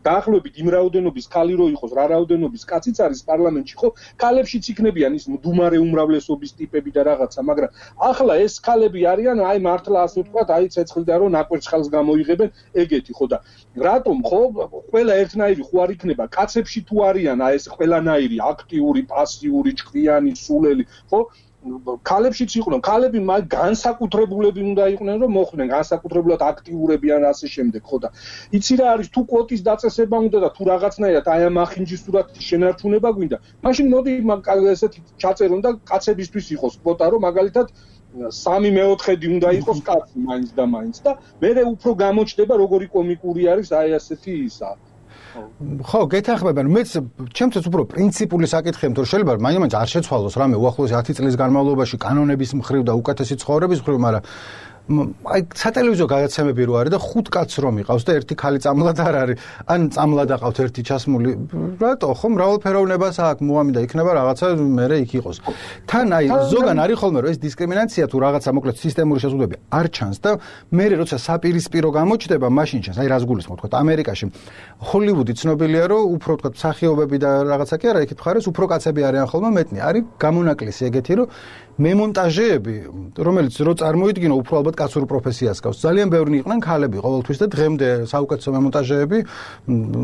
დაახლოებით იმ რაოდენობის ქალი რო იყოს, რა რაოდენობის კაციც არის პარლამენტში, ხო? ქალებშიც იქნებიან ის მდუმარე უმრავლესობის ტიპები და რაღაცა, მაგრამ ახლა ეს ქალები არიან, აი მართლა ასე ვთქვათ, აი ცეცხლიდან რო ნაკვერცხალს გამოიღებენ, ეგეთი, ხო და რატომ ხო ყველა ერთნაირი ხო არ იქნება, კაცებში თუ არიან აი ეს ყველანაირი აქტიური, პასიური, ჭკვიანი, სულელი, ხო? ქალებშიც იყვნენ, ქალები განსაკუთრებულები უნდა იყვნენ, რომ მოხვდნენ, განსაკუთრებულად აქტიურები ან ასე შემდეგ, ხო და იცი რა არის, თუ კვოტის დაწესება უნდა და თუ რაღაცნაირად აი ამ ახინჯის სურათის შენარჩუნება გვინდა, მაშინ მოდი ესეთი ჩაწერონ და კაცებისთვის იყოს კვოტა, რომ მაგალითად 3/4 უნდა იყოს კაცი მაინც და მაინც და მე უფრო გამოჩნდება, როგორი კომიკური არის აი ასეთი ისა. ხო, გეთანხმება, მეც ჩემთვის უფრო პრინციპული საკითხია, თუ შეიძლება მაინც არ შეცვალოს რამე უახლოესი 10 წლის განმავლობაში კანონების მხრივ და უკეთესი ცხოვრების მხრივ, მაგრამ აი სატელევიზიო გადაცემები რო არის და 5 კაცს რომ იყავს და ერთი ქალი წამლად არ არის, ან წამლად აყავთ ერთი ჩასმული, რატო ხო მრავალფეროვნებას აქვს მოამი და იქნება რაღაცა მერე იქ იყოს. თან აი ზოგან არის ხოლმე რომ ეს დისკრიმინაცია თუ რაღაცა მოკლედ სისტემური შეზღუდვები არ ჩანს და მერე როცა საპირისპირო გამოჩნდება, მაშინ ჩანს. აი რას გულისხმობ თქვა ამერიკაში ჰოლივუდი ცნობილია რომ უფრო თქვა მსახიობები და რაღაცა კი არა, იქით მხარეს უფრო კაცები არიან ხოლმე მეტნი. არის გამონაკლისი ეგეთი რომ მემონტაჟეები, რომელიც რო წარმოიდგინო უფრო ალბათ კაცურ პროფესიას გავს. ძალიან ბევრი იყვნენ ქალები ყოველთვის და დღემდე საუკეთესო მემონტაჟეები,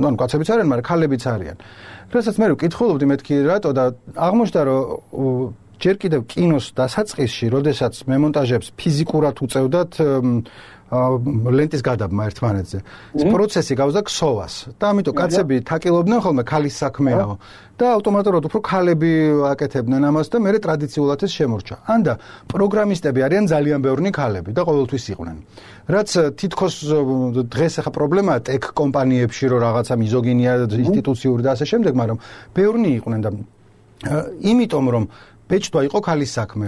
ანუ კაცებიც არიან, მაგრამ ქალებიც არიან. რასაც მე ვკითხულობდი მეთქი რატო და აღმოჩნდა რომ ჯერ კიდევ კინოს დასაწყისში, როდესაც მემონტაჟებს ფიზიკურად უწევდათ ლენტის გადაბმა ერთმანეთზე. ეს პროცესი გავზდა ქსოვას და ამიტომ კაცები თაკილობდნენ ხოლმე ქალის საქმეაო და ავტომატურად უფრო ქალები აკეთებდნენ ამას და მე ტრადიციულად ეს შემორჩა. ანდა პროგრამისტები არიან ძალიან ბევრი ქალები და ყოველთვის იყვნენ. რაც თითქოს დღეს ახლა პრობლემაა ტექ კომპანიებში რომ რაღაცა მიზოგინია ინსტიტუციური და ასე შემდეგ, მაგრამ ბევრი იყვნენ და იმიტომ რომ ბეჭდვა იყო ქალის საქმე,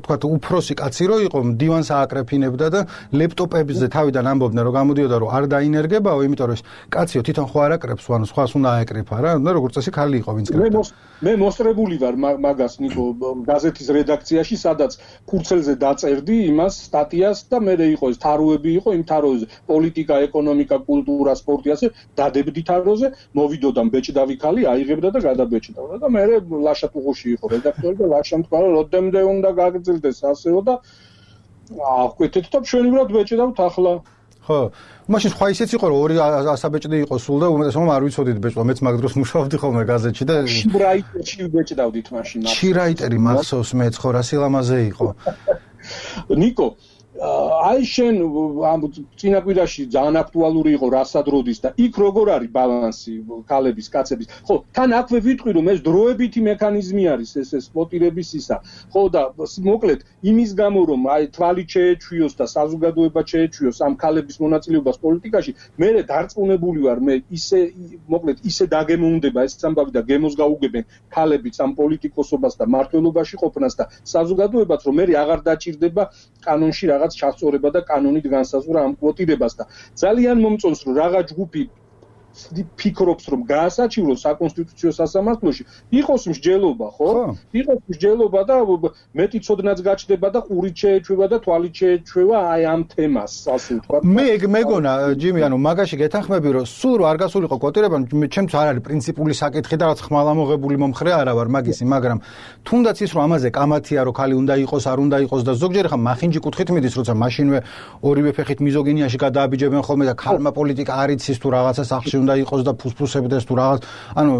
თქვათ უფროსი კაცი რო იყო, დივანს ააკრეფინებდა და ლეპტოპებზე თავიდან ამბობდნენ რომ გამოდიოდა რომ არ დაინერგებაო, იმიტომ რომ კაციო თვითონ ხო არ აკრეფს, ანუ სხვას უნდა აეკრიფა რა, და როგორც წესი ქალი იყო ვინც კრეფდა. მე მოსწრებული ვარ მაგას ნიკო გაზეთის რედაქციაში, სადაც ქურცელზე დაწერდი იმას სტატიას და მე იყო ეს თაროები იყო, იმ თაროზე პოლიტიკა, ეკონომიკა, კულტურა, სპორტი ასე დადებდი თაროზე, მოვიდოდა ბეჭდავი ქალი, აიღებდა და გადაბეჭდავდა და მე ლაშა ტუღუში იყო რედაქტორი და ლაშამ თქვა რომ როდემდე უნდა გაგრძელდეს ასეო და აღვკვეთეთ და ჩვენივრად ბეჭდავთ ახლა. ხო, მაშინ სხვა ისეც იყო რომ ორი ასაბეჭდი იყო სულ და უმეტესობა არ ვიცოდით ბეჭდვა, მეც მაგ დროს მუშაობდი ხოლმე გაზეთში და შიბრაიტერში ბეჭდავდით მაშინ. შიბრაიტერი მახსოვს მეც ხო რა სილამაზე იყო. ნიკო აი შენ ამ წინაკვირაში ძალიან აქტუალური იყო რასადროდის და იქ როგორ არის ბალანსი ქალების, კაცების. ხო, თან აქვე ვიტყვი რომ ეს დროებითი მექანიზმი არის ეს სპოტირების ისა. ხო და მოკლედ იმის გამო რომ აი თვალი შეეჩვიოს და საზოგადოება შეეჩვიოს ამ ქალების მონაწილეობას პოლიტიკაში, მე დარწმუნებული ვარ, მე მოკლედ ისე დაგემოვნდება ეს ამბავი და გემოს გაუგებენ ქალებიც ამ პოლიტიკოსობას და მმართველობაში ყოფნას და საზოგადოებაც რომ მე აღარ დაჭირდება კანონში რაღაც ჩასწორება და კანონით განსაზღვრა ამ კვოტირებას და ძალიან მომწონს რომ რაღაც ჯგუფი ფიქრობს რომ გაასაჩივროს საკონსტიტუციო სასამართლოში იყოს მსჯელობა, ხო? იყოს მსჯელობა და მეტი ცოდნაც გაჩნდება და ყურით შეეჩვევა და თვალით შეეჩვევა აი ამ თემას, ასე ვთქვა. მე მეგონა ჯიმი, ანუ მაგაში გეთანხმები რომ სულ რო არ გასულიყო კვოტირება, ჩემთვის არ არის პრინციპული საკითხი და რაც ხმალამოღებული მომხრე არა ვარ მაგისი, მაგრამ თუნდაც ის რომ ამაზე კამათია რომ ქალი უნდა იყოს, არ უნდა იყოს და ზოგჯერ ხა მახინჯი კუთხით მიდის, როცა მაშინვე ორივე ფეხით მიზოგინიაში გადააბიჯებენ ხოლმე და ქალმა პოლიტიკა არ იცის თუ რაღაცა სახში უნდა იყოს და ფუსფუსებდეს თუ რაღაც, ანუ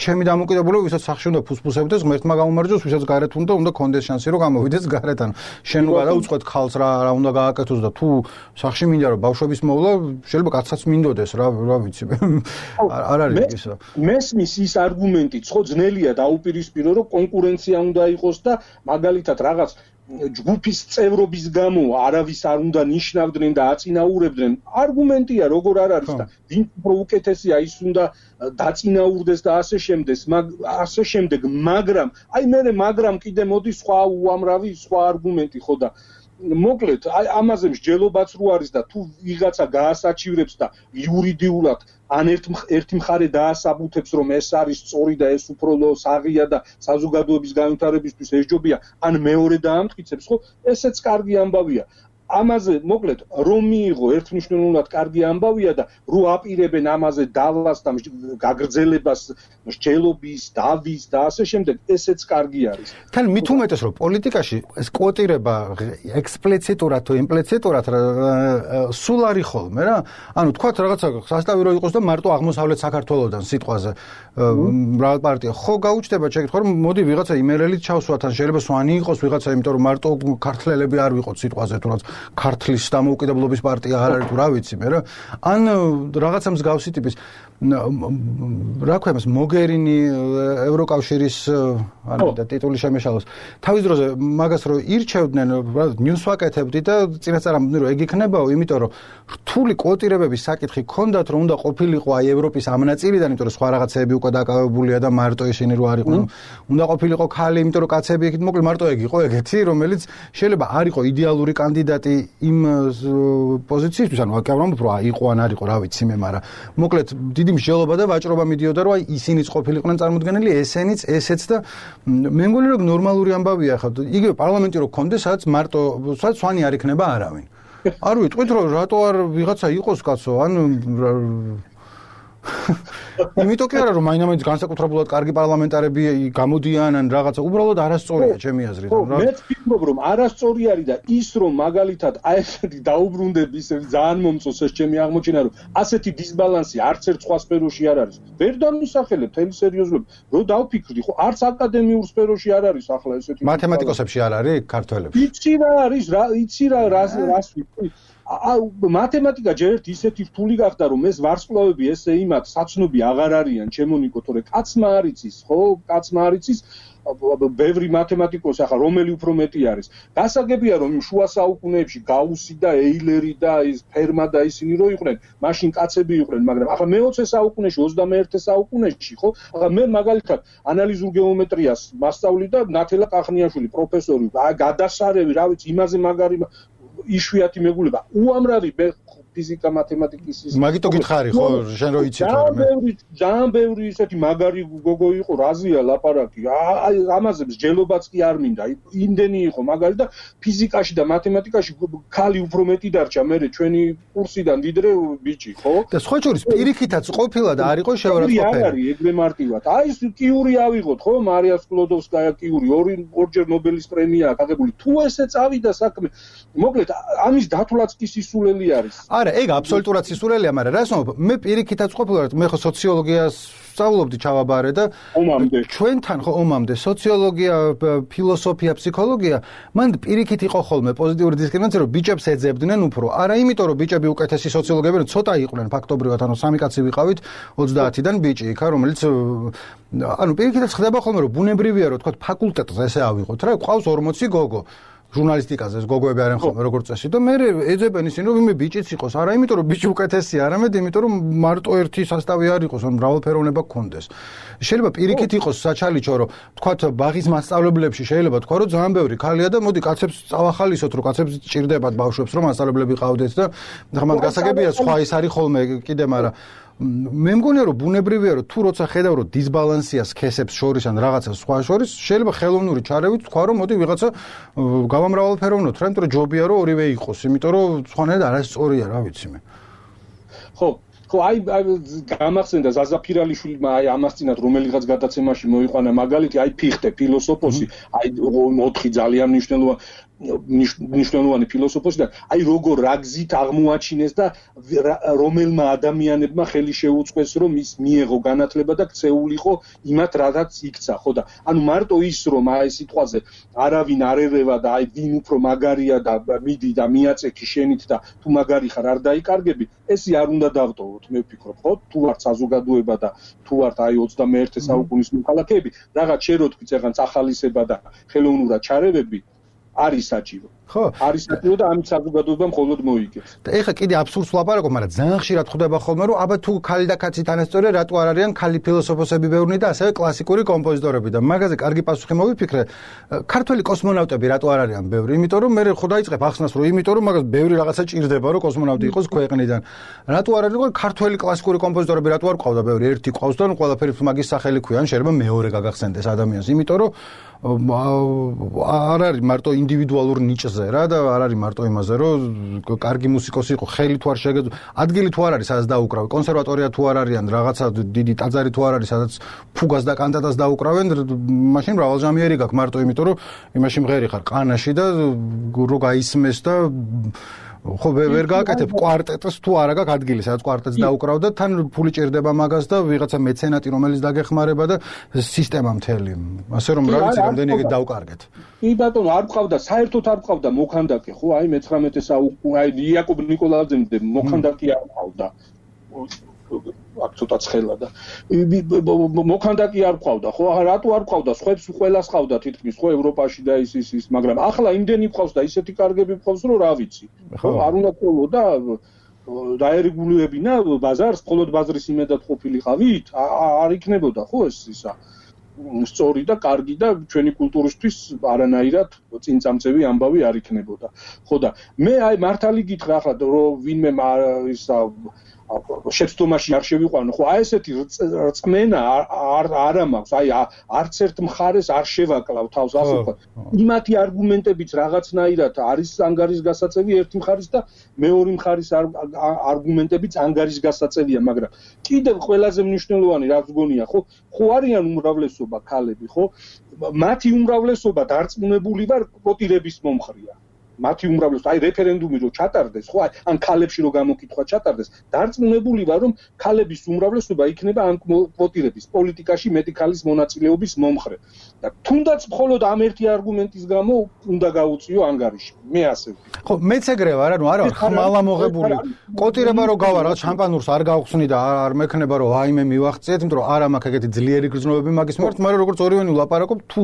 ჩემი დამოკიდებულება ვისაც სახში უნდა ფუსფუსებდეს, ღმერთმა გამომარჯოს, ვისაც გარეთ უნდა კონდეს შანსი რომ გამოვიდეს გარეთ, ანუ შენ გადაუწყვეტ ხალხს რა უნდა გააკეთოს და თუ სახში მინდა რომ ბავშვების მოვლა, შეიძლება კაცსაც მინდოდეს რა ვიცი. არ არის ისო. მესმის ის არგუმენტიც ხო ძნელია დაუპირისპირო რომ კონკურენცია უნდა იყოს და მაგალითად რაღაც ჯგუფის წევრობის გამო არავის არ უნდა ნიშნავდნენ და აწინაურებდნენ. არგუმენტია როგორ არ არის და ვინ უფრო უკეთესია ის უნდა დაწინაურდეს და ასე შემდეგ, მაგრამ აი მაგრამ კიდე მოდის სხვა უამრავი სხვა არგუმენტი ხო და მოკლედ აი ამაზე მსჯელობაც რო არის და თუ ვიღაცა გაასაჩივრებს და იურიდიულად ან ერთი მხარე დაასაბუთებს რომ ეს არის სწორი და ეს უფრო საღია და საზოგადოების განვითარებისთვის ესჯობია, ან მეორე დაამტკიცებს, ხო, ესეც კარგი ამბავია. ამაზე მოკლედ რომ მიიღო ერთმნიშვნელოვნად კარგი ამბავია და რო აპირებენ ამაზე დალას და გაგრძელებას მსჯელობის, დავის და ასე შემდეგ, ესეც კარგი არის. თან მით უმეტეს რომ პოლიტიკაში ეს კვოტირება ექსპლიციტურად თუ იმპლიციტურად სულ არის ხოლმე რა. ანუ თქვათ რაღაცა სასტავი რო იყოს და მარტო აღმოსავლეთ საქართველოსდან სიტყვაზე მრავალ პარტია ხო გაუჩნდება შეკითხვა რომ მოდი ვიღაცა იმერელით ჩავსვა თან შეიძლება სვანი იყოს ვიღაცა იმიტომ რომ მარტო ქართველები არ ვიყოთ სიტყვაზე თუ რაღაც ქართლის დამოუკიდებლობის პარტია არ არის თუ რა ვიცი მე რა ან რაღაცა მსგავსი ტიპის რა ქვია მას მოგერინი ევროკავშირის ანუ და ტიტული შემეშალოს თავის დროზე მაგას რო ირჩევდნენ ნიუს ვაკეთებდი და წინასწარ ამბობდნენ რომ ეგ იქნებაო იმიტომ რომ რთული კვოტირებების საკითხი ქონდათ რომ უნდა ყოფილიყო აი ევროპის ამ ნაწილიდან იმიტომ რომ სხვა რაღაცები უკვე დაკავებულია და მარტო ისინი რო არ იყვნენ უნდა ყოფილიყო ქალი იმიტომ რომ კაცები იქით მოკლედ მარტო ეგ იყო ეგეთი რომელიც შეიძლება არ იყო იდეალური კანდიდატი იმ პოზიციისთვის ანუ აკავრამ უფრო იყო ან არ იყო რა ვიცი მე მაგრამ მოკლედ დიდი მსჯელობა და ვაჭრობა მიდიოდა რომ აი ისინიც ყოფილიყვნენ წარმოდგენილი ესენიც ესეც და მე მგონი რომ ნორმალური ამბავია ხა იგივე პარლამენტი რო გქონდეს სადაც მარტო სადაც სვანი არ იქნება არავინ არ ვიტყვით რომ რატო არ ვიღაცა იყოს კაცო ან იმიტომ კი არა რომ მაინც განსაკუთრებულად კარგი პარლამენტარები გამოდიან ან რაღაცა უბრალოდ არასწორია ჩემი აზრით მეც ვფიქრობ რომ არასწორი არის და ის რომ მაგალითად აი ესეთი დაუბრუნდები ისე ძალიან მომწონს ეს ჩემი აღმოჩენა რომ ასეთი დისბალანსი არც ერთ სხვა სფეროში არ არის ვერ დამისახელებ თემის სერიოზულობა რომ დავფიქრდი ხო არც აკადემიურ სფეროში არ არის ახლა ესეთი მათემატიკოსებში არ არის ქართველებში იცი რა არის რა იცი რა რას ვიტყვი მათემატიკა ჯერ ერთ ისეთი რთული გახდა რომ ეს ვარსკვლავები ესე იმათ საცნობი აღარ არიან ჩემონიკო თორე კაცმა არ იცის ხო კაცმა არ იცის ბევრი მათემატიკოსი ახლა რომელი უფრო მეტი არის გასაგებია რომ შუა საუკუნეებში გაუსი და ეილერი და ის ფერმა და ისინი რო იყვნენ მაშინ კაცები იყვნენ მაგრამ ახლა მე-20 საუკუნეში 21 საუკუნეში ხო ახლა მე მაგალითად ანალიზურ გეომეტრიას მასწავლი და ნათელა კახნიაშვილი პროფესორი გადასარევი რა ვიცი იმაზე მაგარი იშვიათი მეგულება უამრავი ფიზიკა მათემატიკის ის მაგიტო გითხარი ხო შენ რო იცით ძალიან ბევრი ისეთი მაგარი გოგო იყო რაზეა ლაპარაკი აი ამაზე მსჯელობაც კი არ მინდა იმდენი იყო მაგარი და ფიზიკაში და მათემატიკაში ქალი უფრო მეტი დარჩა მე ჩვენი კურსიდან ვიდრე ბიჭი ხო და სხვა შორის პირიქითაც ყოფილა და არ იყო შეურაცხყოფელი არ არის ეგრე მარტივად აი ეს კიური ავიღოთ ხო მარია სკლოდოვსკაია კიური ორჯერ ნობელის პრემია გაგებული თუ ესე წავიდა საქმე მოკლედ ამის დათვლაც კი სისულელი არის არა ეგ აბსოლუტურად სისულელია მაგრამ რას ვამბობ მე პირიქითაც ყოფილა მე ხო სოციოლოგიას სწავლობდი ჩავაბარე და ჩვენთან ხო ომამდე სოციოლოგია ფილოსოფია ფსიქოლოგია მან პირიქით იყო ხოლმე პოზიტიური დისკრიმინაცია რომ ბიჭებს ეძებდნენ უფრო არა იმიტომ რომ ბიჭები უკეთესი სოციოლოგები რომ ცოტა იყვნენ ფაქტობრივად ანუ სამი კაცი ვიყავით 30-დან ბიჭი იქა რომელიც ანუ პირიქითაც ხდება ხოლმე რომ ბუნებრივია რომ თქვა ფაკულტეტზე ესე ავიღოთ რა ყავს 40 გოგო ჟურნალისტიკაზე ეს გოგოები არიან ხოლმე როგორც წესი და მე ეძებენ ისინი რომ იმე ბიჭიც იყოს არა იმიტომ რომ ბიჭი უკეთესია არამედ იმიტომ რომ მარტო ერთი სასტავი არ იყოს ან მრავალფეროვნება გქონდეს შეიძლება პირიქით იყოს საჩალიჩო რომ თქვათ ბაღის მასწავლებლებში შეიძლება თქვა რომ ძალიან ბევრი ქალია და მოდი კაცებს წავახალისოთ რომ კაცებს ჭირდებათ ბავშვებს რომ მასწავლებლები ყავდეთ და ხმად გასაგებია სხვა ის არის ხოლმე კიდე მაგრამ მე მგონია რომ ბუნებრივია რომ თუ როცა ხედავ რომ დისბალანსია სქესებს შორის ან რაღაცა სხვა შორის შეიძლება ხელოვნური ჩარევით თქვა რომ მოდი ვიღაცა გავამრავალფეროვნოთ რა იმიტომ რომ ჯობია რომ ორივე იყოს იმიტომ რომ სხვანაირად არასწორია რა ვიცი მე ხო აი გამახსენდა ზაზაფირალიშვილმა აი ამას წინათ რომელიღაც გადაცემაში მოიყვანა მაგალითი აი ფიხტე ფილოსოფოსი აი 4 ძალიან მნიშვნელოვანი ფილოსოფოსი და აი როგორ რა გზით აღმოაჩინეს და რომელმა ადამიანებმა ხელი შეუწყეს რომ ის მიეღო განათლება და ქცეულიყო იმათ რადაც იქცა ხო და ანუ მარტო ის რომ აი სიტყვაზე არავინ არ ერევა და აი ვინ უფრო მაგარია და მიდი და მიაწექი შენით და თუ მაგარი ხარ არ დაიკარგები ესე არ უნდა დავტოვოთ მე ვფიქრობ ხო თუ ვართ საზოგადოება და თუ ვართ აი 21 საუკუნის მოქალაქეები რაღაც შეროთქვით რაღაც ახალისება და ხელოვნურად ჩარევები არის საჭირო. ხო, არის საჭირო და ამით საზოგადოება მხოლოდ მოიგებს. და ეხლა კიდე აბსურდს ვლაპარაკობ, მაგრამ ძალიან ხშირად ხვდება ხოლმე, რომ აბა თუ ქალი და კაცი თანასწორია, რატო არ არიან ქალი ფილოსოფოსები ბევრნი და ასევე კლასიკური კომპოზიტორები და მაგაზე კარგი პასუხი მოვიფიქრე. ქართველი კოსმონავტები რატო არ არიან ბევრი? იმიტომ რომ მე ხო დაიწყებ ახსნას, რომ იმიტომ რომ მაგას ბევრი რაღაცა ჭირდება, რომ კოსმონავტი იყოს ქვეყნიდან. რატო არ არის ქართველი კლასიკური კომპოზიტორები რატო არ ყავდა ბევრი? ერთი ყავს და ყველაფერი მაგის სახელი ქვიან, შეიძლება მეორე გაგახსენდეს ადამიანს, იმიტომ რომ არ არის მარტო ინდივიდუალურ ნიჭზე რა და არ არის მარტო იმაზე რომ კარგი მუსიკოსი იყო ხელი თუ არ შეგეძლო ადგილი თუ არ არის სადაც დაუკრავენ კონსერვატორია თუ არ არიან რაღაცა დიდი ტაძარი თუ არ არის სადაც ფუგას და კანტატას დაუკრავენ მაშინ მრავალჟამიერი გაქვს მარტო იმიტომ რომ იმაში მღერი ხარ ყანაში და რო გაისმეს და ხო ვერ გააკეთებ კვარტეტს თუ არა გაქვს ადგილი სადაც კვარტეტს დაუკრავდა თან ფული ჭირდება მაგას და ვიღაცა მეცენატი რომელიც დაგეხმარება და სისტემა მთელი ასე რომ რა ვიცი რამდენი ეგ დავკარგეთ კი ბატონო არ ყავდა საერთოდ არ ყავდა მოქანდაკე ხო აი მე-19 საუკუნე აი იაკობ ნიკოლაძემდე მოქანდაკე არ ყავდა აქ ცოტა ცხელა და მოქანდაკე არ ყავდა ხო რატო არ ყავდა სხვებს ყველას ყავდა თითქმის ხო ევროპაში და ის მაგრამ ახლა იმდენი ყავს და ისეთი კარგები ყავს რომ რა ვიცი ხო არ უნდა ყოლო და დაერეგულირებინა ბაზარს მხოლოდ ბაზრის იმედად ყოფილიყავით არ იქნებოდა ხო ეს ისა სწორი და კარგი და ჩვენი კულტურისთვის არანაირად წინწამწევი ამბავი არ იქნებოდა ხო და მე აი მართალი გითხრა ახლა რომ ვინმე ისა შეცდომაში არ შევიყვანო ხო აი ესეთი რწმენა არა მაქვს აი არც ერთ მხარეს არ შევაკლავ თავს ასე ვთქვათ იმათი არგუმენტებიც რაღაცნაირად არის ანგარიშგასაწევი ერთი მხარის და მეორე მხარის არგუმენტებიც ანგარიშგასაწევია მაგრამ კიდევ ყველაზე მნიშვნელოვანი რაც გონია ხო არიან უმრავლესობა ქალები ხო მათი უმრავლესობა დარწმუნებული ვარ კვოტირების მომხრეა მათი უმრავლესობა აი რეფერენდუმი რო ჩატარდეს ხო ან ქალებში რო გამოკითხვა ჩატარდეს დარწმუნებული ვარ რომ ქალების უმრავლესობა იქნება ამ კვოტირების პოლიტიკაში მეტი ქალის მონაწილეობის მომხრე და თუნდაც მხოლოდ ამ ერთი არგუმენტის გამო უნდა გაუწიო ანგარიში მე ასე ხო მეც ეგრე ვარ ანუ არა ხმალა მოღებული კვოტირება რო გავა რა შამპანურს არ გავხსნი და არ მექნება რომ აი მე მივახციეთ იმიტომ რომ არა მაქვს ეგეთი ძლიერი გრძნობები მაგის მიმართ მაგრამ როგორც ორივენი ვლაპარაკობ თუ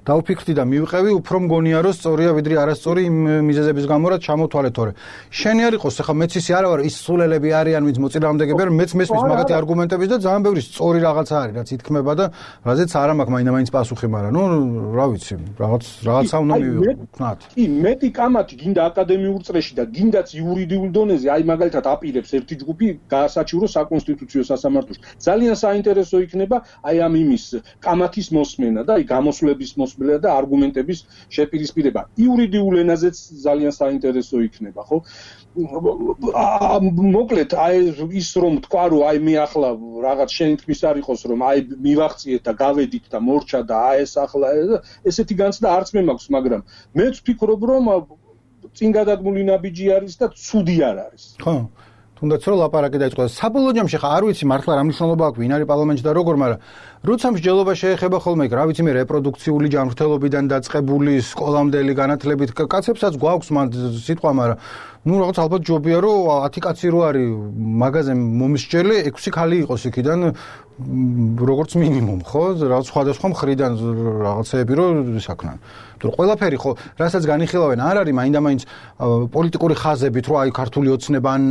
დავფიქრდი და მივყევი უფრო მგონია რომ სწორია ვიდრე არასწორი მიზეზების გამო რა ჩამოთვალე თორე შენი არ იყოს ახლა მეც ისე არა ვარ ის სულელები არიან ვინც მოწინააღმდეგეები არ მეც მესმის მაგათი არგუმენტების და ძალიან ბევრი სწორი რაღაცა არის რაც ითქმება და რაზეც არა მაქვს მაინდა-მაინც პასუხი მაგრამ ნუ რა ვიცი რაღაცა უნდა მივიქნათ კი მეტი კამათი გინდა აკადემიურ წრეში და გინდაც იურიდიულ დონეზე აი მაგალითად აპირებს ერთი ჯგუფი გაასაჩივროს საკონსტიტუციო სასამართლოში ძალიან საინტერესო იქნება აი ამ იმის კამათის მოსმენა და აი გამოსვლების მოსმენა და არგუმენტების შეპირისპირება იურიდიულ ენაზეც ძალიან საინტერესო იქნება ხო მოკლედ აი ის რომ თქვა რომ აი მე ახლა რაღაც შენ თქმის არ იყოს რომ აი მივახციეთ და გავედით და მორჩა და აი ეს ახლა ესეთი განცდა არც მე მაქვს მაგრამ მეც ვფიქრობ რომ წინ გადადგმული ნაბიჯი არის და ცუდი არ არის ხო თუნდაც რომ ლაპარაკი დაიწყო საბოლოო ჯამში ხა არ ვიცი მართლა რა მნიშვნელობა აქვს ვინ არის პარლამენტში და როგორ მაგრამ როცა მსჯელობა შეეხება ხოლმე რა ვიცი მე რეპროდუქციული ჯანმრთელობიდან დაწყებული სკოლამდელი განათლებით კაცებსაც გვაქვს მან სიტყვა მაგრამ ნუ რაღაც ალბათ ჯობია რომ 10 კაცი რო არის მაღაზიაზე მომისჯელე 6 ქალი იყოს იქიდან როგორც მინიმუმ ხო რაღაც სხვადასხვა მხრიდან რაღაცეები რო ისაქნან თუ ყველაფერი ხო რასაც განიხილავენ არ არის მაინდა-მაინც პოლიტიკური ხაზებით რო აი ქართული ოცნება ან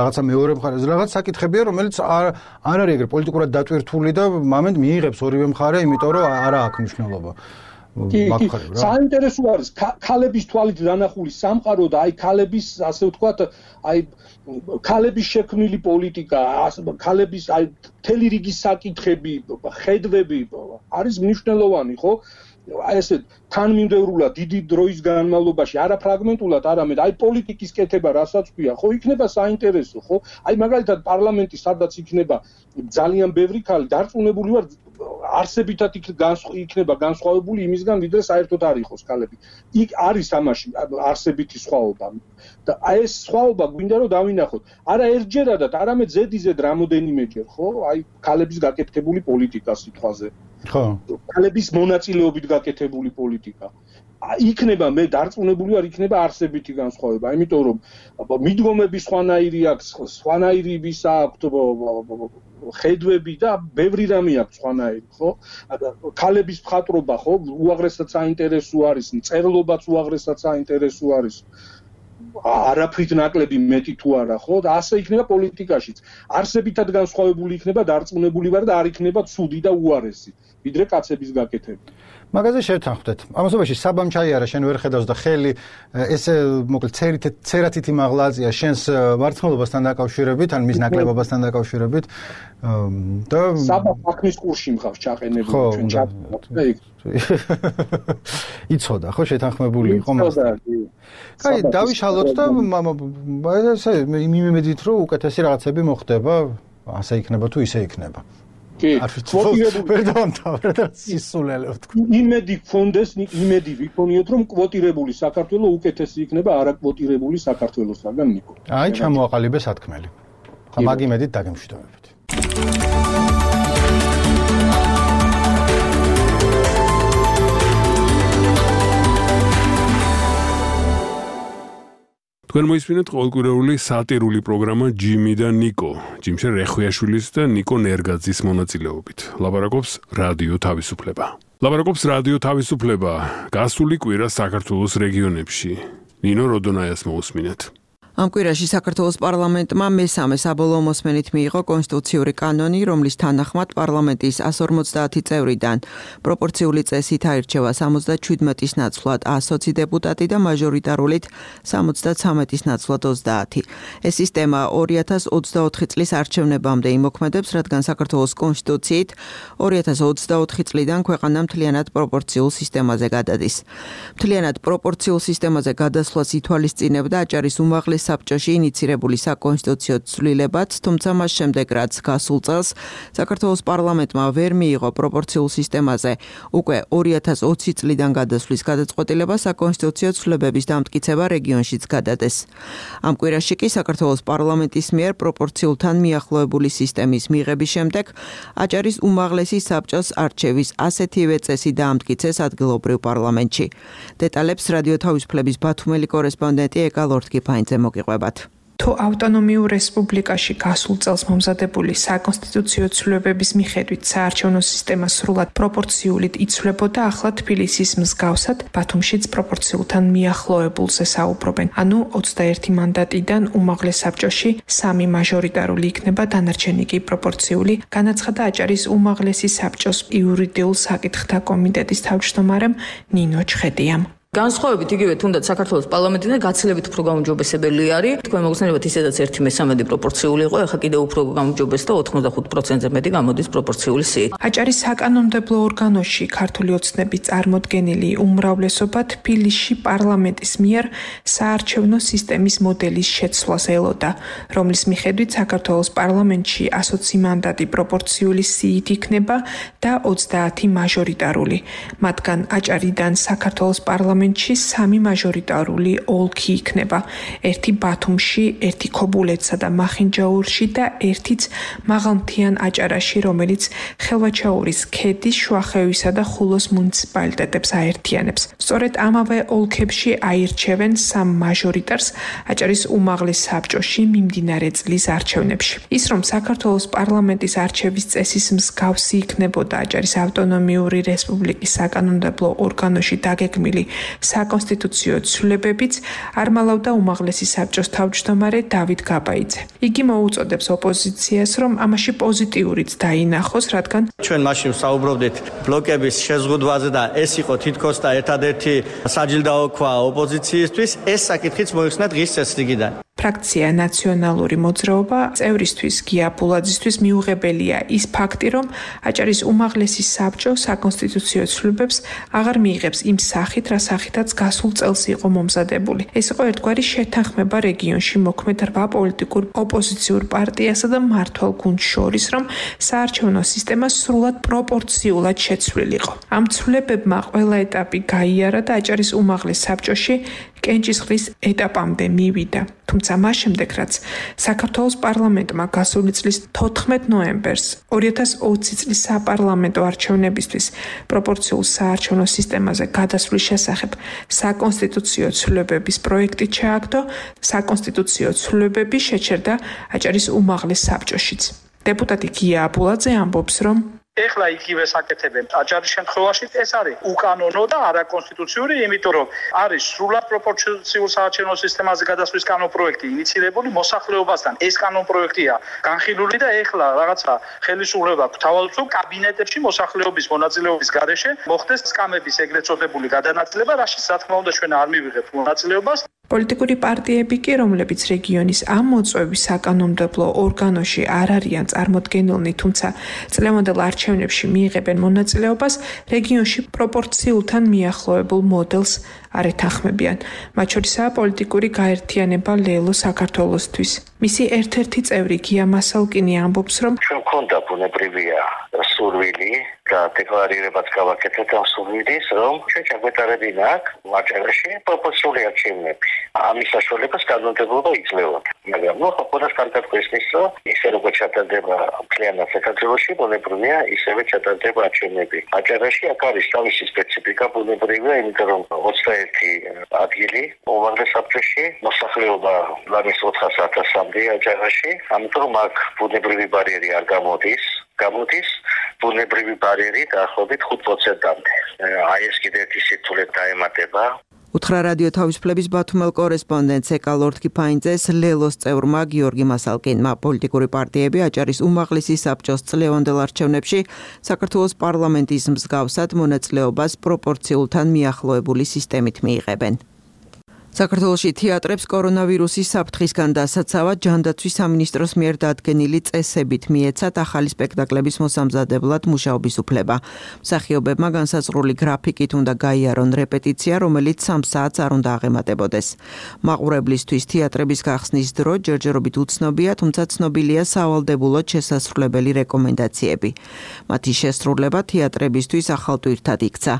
რაღაცა მეორე მხარეს რაღაც საკითხებია რომელიც არ არის ეგრე პოლიტიკურად დატვირთული და მომენტ მიიღებს ორივე მხარე იმიტომ რომ არა აქვს მნიშვნელობა საინტერესო არის ქალების თვალით დანახული სამყარო და აი ქალების ასე ვთქვათ აი ქალების შექმნილი პოლიტიკა ქალების აი მთელი რიგი საკითხები ხედვები არის მნიშვნელოვანი ხო აი ესე თანმიმდევრულად დიდი დროის განმავლობაში არა ფრაგმენტულად არამედ აი პოლიტიკის კეთება რასაც ქვია ხო იქნება საინტერესო ხო აი მაგალითად პარლამენტი სადაც იქნება ძალიან ბევრი ქალი დარწმუნებული ვარ არსებითად იქნება განსხვავებული იმისგან ვიდრე საერთოდ არ იყოს ქალები იქ არის ამაში არსებითი სხვაობა და აი ეს სხვაობა გვინდა რომ დავინახოთ არა ერთჯერადად არამედ ზედიზედ რამოდენიმეჯერ ხო აი ქალების გაკეთებული პოლიტიკა სიტყვაზე ხო ქალების მონაწილეობით გაკეთებული პოლიტიკა იქნება მე დარწმუნებული ვარ იქნება არსებითი განსხვავება იმიტომ რომ მიდგომები სხვანაირი აქვს სხვანაირი ვის აქვს ხედვები და ბევრი რამე აქვს სხვანაირი ხო ქალების მხატვრობა ხო უაღრესად საინტერესო არის მწერლობაც უაღრესად საინტერესო არის არაფრით ნაკლები მეტი თუ არა ხო და ასე იქნება პოლიტიკაშიც არსებითად განსხვავებული იქნება დარწმუნებული ვარ და არ იქნება ცუდი და უარესი ვიდრე კაცების გაკეთება მაგაზე შევთანხმდეთ ამასობაში საბამ ჩაიარა შენ ვერ ხედავს და ხელი ესე მოკლედ ცერათითი მაღლაზია შენს მართლობასთან დაკავშირებით ან მის ნაკლებობასთან დაკავშირებით და საბა საქმის კურსში მხავს ჩაყენებული ჩვენ ჩაყენებთ იცოდა ხო შეთანხმებული იყო მასთან კაი დავიშალოთ და ესე მიმედით რომ უკეთესი რაღაცები მოხდება ასე იქნება თუ ისე იქნება კი, კვოტირებული და სისულელე ვთქვა. იმედი გქონდეს, იმედი ვიქონიოთ, რომ კვოტირებული საქართველო უკეთესი იქნება არაკვოტირებული საქართველოსაგან, ნიკო. აი, ჩამოაყალიბე სათქმელი. ხა მაგ იმედით დაგემშვიდობებით. თქვენ მოისმინეთ ყოველკვირეული სატირული პროგრამა ჯიმი და ნიკო. ჯიმშენ რეხვიაშვილის და ნიკო ნერგაძის მონაწილეობით. ლაპარაკობს რადიო თავისუფლება. ლაპარაკობს რადიო თავისუფლება. გასული კვირა საქართველოს რეგიონებში. ნინო როდონაიას მოусმინეთ. ამ კვირაში საქართველოს პარლამენტმა მესამე საბოლოო მოსმენით მიიღო კონსტიტუციური კანონი, რომლის თანახმად პარლამენტის 150 წევრიდან პროპორციული წესით აირჩევა 77-ის ნაცვლად 120 დეპუტატი და მაჟორიტარულით 73-ის ნაცვლად 30. ეს სისტემა 2024 წლის არჩევნებამდე იმოქმედებს, რადგან საქართველოს კონსტიტუციით 2024 წლიდან ქვეყანა მთლიანად პროპორციულ სისტემაზე გადადის. მთლიანად პროპორციულ სისტემაზე გადასვლას ითვალისწინებდა აჭარის უმაღლეს საბჭოში ინიცირებული საკონსტიტუციო ცვლილებაც, თუმცა მას შემდეგ, რაც გასულ წელს საქართველოს პარლამენტმა ვერ მიიღო პროპორციულ სისტემაზე უკვე 2020 წლიდან გადასვლის გადაწყვეტილება, საკონსტიტუციო ცვლილებების დამტკიცება რეგიონშიც გადადეს. ამ კვირაში კი საქართველოს პარლამენტის მიერ პროპორციულთან მიახლოებული სისტემის მიღების შემდეგ აჭარის უმაღლესი საბჭოს არჩევის ასეთივე წესი დაამტკიცეს ადგილობრივ პარლამენტში. დეტალებს რადიო თავისუფლების ბათუმელი კორესპონდენტი ეკა ლორთქიფაინძე მოგიყვებათ. თუ ავტონომიურ რესპუბლიკაში გასულ წელს მომზადებული საკონსტიტუციო ცვლილებების მიხედვით საარჩევნო სისტემა სრულად პროპორციულით იცვლებოდა, ახლა თბილისის მსგავსად ბათუმშიც პროპორციულთან მიახლოებულზე საუბრობენ. ანუ 21 მანდატიდან უმაღლეს საბჭოში 3 მაჟორიტარული იქნება, დანარჩენი კი პროპორციული, განაცხადა აჭარის უმაღლესი საბჭოს იურიდიულ საკითხთა კომიტეტის თავმჯდომარემ ნინო ჩხეტიამ. განსხვავებით იგივე თუნდაც საქართველოს პარლამენტიდან გაცილებით უფრო გაუმჯობესებელი არის. თქვენ მოგხსენებათ ისედაც 1/3 პროპორციული იყო, ახლა კიდევ უფრო გაუმჯობეს და 85%-ზე მეტი გამოდის პროპორციული სიით. აჭარის საკანონმდებლო ორგანოში ქართული ოცნების წარმოდგენილი უმრავლესობა თბილისში პარლამენტის მიერ საარჩევნო სისტემის მოდელის შეცვლას ელოდა, რომლის მიხედვით საქართველოს პარლამენტში 120 მანდატი პროპორციული სიით იქნება და 30 მაჟორიტარული. მათგან აჭარიდან საქართველოს პარლამენტში 3 მაჟორიტარული ოლქი იქნება. ერთი ბათუმში, ერთი ქობულეთსა და მახინჯაურში და ერთიც მაღალმთიან აჭარაში, რომელიც ხელვაჩაურის ქედის, შუახევისა და ხულოს მუნიციპალიტეტებს აერთიანებს. სწორედ ამავე ოლქებში აირჩევენ 3 მაჟორიტარს აჭარის უმაღლეს საბჭოში მიმდინარე წლის არჩევნებში. ის რომ საქართველოს პარლამენტის არჩევის წესის მსგავსი იქნებოდა აჭარის ავტონომიური რესპუბლიკის საკანონმდებლო ორგანოში დაგეგმილი საკონსტიტუციო ცვლილებებიც არ მალავდა უმაღლესი საბჭოს თავმჯდომარე დავით გაბაიძე. იგი მოუწოდებს ოპოზიციას, რომ ამაში პოზიტიურიც დაინახოს, რადგან ჩვენ მაშინ საუბრობდით ბლოკების შეზღუდვაზე და ეს იყო თითქოს და ერთადერთი საჯილდაო ქვა ოპოზიციისთვის, ეს საკითხიც მოიხსნა დღის წესრიგიდან. ფრაქცია ნაციონალური მოძრაობა წევრისთვის გია ბულაძისთვის მიუღებელია ის ფაქტი, რომ აჭარის უმაღლესი საბჭო საკონსტიტუციო ცვლილებებს აღარ მიიღებს იმ სახით, რა სახითაც გასულ წელს იყო მომზადებული. ეს იყო ერთგვარი შეთანხმება რეგიონში მოქმედ 8 პოლიტიკურ ოპოზიციურ პარტიასა და მმართველ გუნდს შორის, რომ საარჩევნო სისტემა სრულად პროპორციულად შეცვლილიყო. ამ ცვლილებებმა ყველა ეტაპი გაიარა და აჭარის უმაღლეს საბჭოში კენჭისყრის ეტაპამდე მივიდა. თუმცა მას შემდეგ, რაც საქართველოს პარლამენტმა გასული წლის 14 ნოემბერს 2020 წლის საპარლამენტო არჩევნებისთვის პროპორციულ საარჩევნო სისტემაზე გადასვლის შესახებ საკონსტიტუციო ცვლილებების პროექტი ჩააგდო, საკონსტიტუციო ცვლილებები შეჩერდა აჭარის უმაღლეს საბჭოშიც. დეპუტატი გია აბულაძე ამბობს, რომ ეხლა იგივე საკეთებენ აჭარის შემთხვევაში ეს არის უკანონო და არაკონსტიტუციური, იმიტომ რომ არის სრულად პროპორციულ საარჩევნო სისტემაზე გადასვლის კანონპროექტი ინიცირებული მოსახლეობასთან. ეს კანონპროექტია განხილული და ეხლა რაღაცა ხელისუფლება გვთავაზობ კაბინეტებში მოსახლეობის მონაწილეობის გარეშე მოხდეს სკამების ეგრეთ წოდებული გადანაწილება, რაშიც რა თქმა უნდა ჩვენ არ მივიღებთ მონაწილეობას. პოლიტიკური პარტიები კი, რომლებიც რეგიონის ამ მოწვევის საკანონმდებლო ორგანოში არ არიან წარმოდგენილნი, თუმცა წლევანდელ არჩევნებში მიიღებენ მონაწილეობას, რეგიონში პროპორციულთან მიახლოებულ მოდელს არ ეთანხმებიან. მათ შორისაა პოლიტიკური გაერთიანება ლელო საქართველოსთვის. მისი ერთ-ერთი წევრი გია მასალკინი ამბობს, რომ ჩვენ გვქონდა ბუნებრივია სურვილი და დეკლარირებაც გავაკეთეთ ამ სურვილის, რომ ჩვენ ჩაგვეტარებინა აქ აჭარაში პროპორციული არჩევნები. ამის საშუალებას კანონმდებლობა იძლეოდა. მაგრამ ნუ ხოხონას კარგად გვესმის, რომ ისე როგორც ჩატარდება მთლიანად საქართველოში, ბუნებრივია ისევე ჩატარდება არჩევნები. აჭარაში აქ არის თავისი სპეციფიკა ბუნებრივია, იმიტომ რომ 21 ადგილი უმაღლეს საბჭოში მოსახლეობა ლამის 400,000-მდე აჭარაში, ამიტომ აქ ბუნებრივი ბარიერი არ გამოდის ბუნებრივი ბარიერი დაახლოებით 5%-მდე. აი ეს კიდევ ერთი სირთულე დაემატება. უთხრა რადიო თავისუფლების ბათუმელ კორესპონდენტს ეკალორდ კიფაინძეს ლელოს წევრმა გიორგი მასალკინმა. პოლიტიკური პარტიები აჭარის უმაღლესი საბჭოს წლევანდელ არჩევნებში საქართველოს პარლამენტის მსგავსად მონაწილეობას პროპორციულთან მიახლოებული სისტემით მიიღებენ. საქართველოში თეატრებს კორონავირუსის საფრთხისგან დასაცავად ჯანდაცვის სამინისტროს მიერ დადგენილი წესებით მიეცათ ახალი სპექტაკლების მოსამზადებლად მუშაობის უფლება. მსახიობებმა განსაზღვრული გრაფიკით უნდა გაიარონ რეპეტიცია, რომელიც 3 საათს არ უნდა აღემატებოდეს. მაყურებლისთვის თეატრების გახსნის დრო ჯერჯერობით უცნობია, თუმცა ცნობილია სავალდებულოდ შესასრულებელი რეკომენდაციები. მათი შესრულება თეატრებისთვის ახალ ტვირთად იქცა.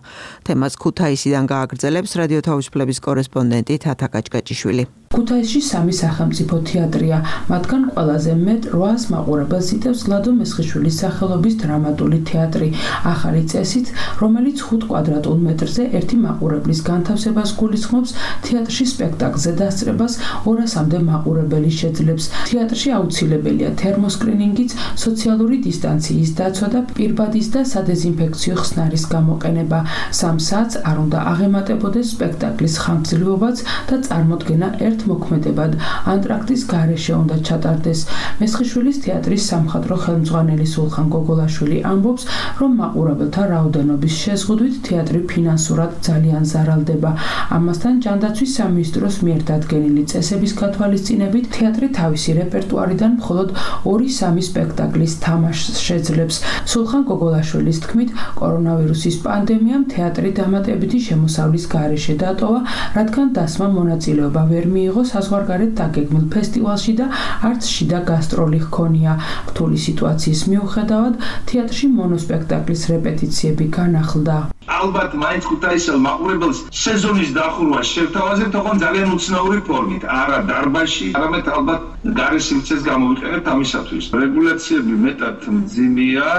თემას ქუთაისიდან გააგრძელებს რადიო თავისუფლების კორესპონდენტი თათა კაჭკაჭიშვილი. ქუთაისში 3 სახელმწიფო თეატრია, მათგან ყველაზე მეტ 800 მაყურებელს იტევს ლადო მესხიშვილის სახელობის დრამატული თეატრი. ახალი წესით, რომელიც 5 კვადრატულ მეტრზე ერთი მაყურებლის განთავსებას გულისხმობს, თეატრში სპექტაკლზე დასწრებას 200-მდე მაყურებელი შეძლებს. თეატრში აუცილებელია თერმოსკრინინგიც, სოციალური დისტანციის დაცვა და პირბადის და სადეზინფექციო ხსნარის გამოყენება. 3 საათს არ უნდა აღემატებოდეს სპექტაკლის ხანგრძლივობაც და წარმოდგენა მოქმედებად ანტრაქტის გარეშე უნდა ჩატარდეს. მესხიშვილის თეატრის სამხატვრო ხელმძღვანელი სულხან გოგოლაშვილი ამბობს, რომ მაყურებელთა რაოდენობის შეზღუდვით თეატრი ფინანსურად ძალიან ზარალდება. ამასთან ჯანდაცვის სამინისტროს მიერ დადგენილი წესების გათვალისწინებით თეატრი თავისი რეპერტუარიდან მხოლოდ 2-3 სპექტაკლის თამაშს შეძლებს. სულხან გოგოლაშვილის თქმით, კორონავირუსის პანდემიამ თეატრი დამატებითი შემოსავლის გარეშე დატოვა, რადგან დასმა მონაწილეობა ვერ მიიღო საზღვარგარეთ დაგეგმილ ფესტივალში და არც შიდა გასტროლი ჰქონია. რთული სიტუაციის მიუხედავად, თეატრში მონოსპექტაკლის რეპეტიციები განახლდა. ალბათ მაინც ქუთაისელ მაყურებელს სეზონის დახურვა შევთავაზებთ, თქო ძალიან უცნაური ფორმით, არა დარბაზში, არამედ ალბათ გარე სივრცეს გამოვიყენებთ ამისათვის. რეგულაციები მეტად მძიმეა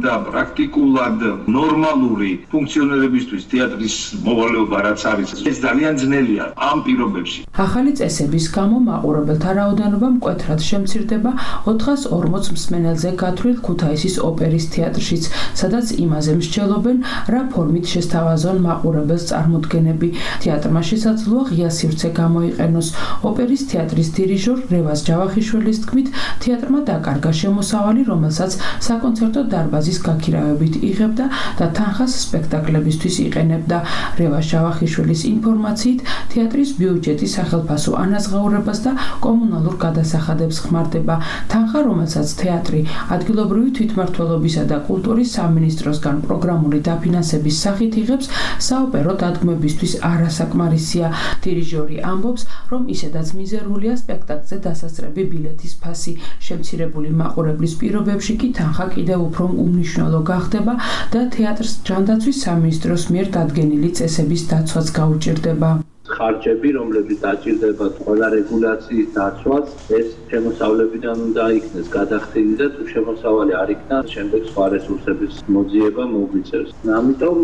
და პრაქტიკულად ნორმალური ფუნქციონირებისთვის თეატრის მოვალეობა რაც არის, ეს ძალიან ძნელია ამ პირობებში. ახალი წესების გამო მაყურებელთა რაოდენობა მკვეთრად შემცირდება 440 მსმენელზე გათვლილ ქუთაისის ოპერის თეატრშიც, სადაც იმაზე მსჯელობენ, რა ფორმით შესთავაზონ მაყურებელს წარმოდგენები. თეატრმა შესაძლოა ღია სივრცე გამოიყენოს. ოპერის თეატრის დირიჟორ რევაზ ჯავახიშვილის თქმით, თეატრმა დაკარგა შემოსავალი, რომელსაც საკონცერტო დარბაზის გაქირავებით იღებდა და თანხას სპექტაკლებისთვის იყენებდა. რევაზ ჯავახიშვილის ინფორმაციით, თეატრის ბიუჯეტი სახელფასო ანაზღაურებას და კომუნალურ გადასახადებს ხმარდება. თანხა, რომელსაც თეატრი ადგილობრივი თვითმმართველობისა და კულტურის სამინისტროსგან პროგრამული დაფინანსების სახით იღებს, საოპერო დადგმებისთვის არასაკმარისია. დირიჟორი ამბობს, რომ ისედაც მიზერულია სპექტაკლზე დასასწრები ბილეთის ფასი. შემცირებული მაყურებლის პირობებში კი თანხა კიდევ უფრო უმნიშვნელო გახდება და თეატრს ჯანდაცვის სამინისტროს მიერ დადგენილი წესების დაცვაც გაუჭირდება. ხარჯები, რომლებიც დაჭირდება ყველა რეგულაციის დაცვას, ეს შემოსავლებიდან უნდა იქნეს გადახდილი და თუ შემოსავალი არ იქნა, შემდეგ სხვა რესურსების მოძიება მოგვიწევს. ამიტომ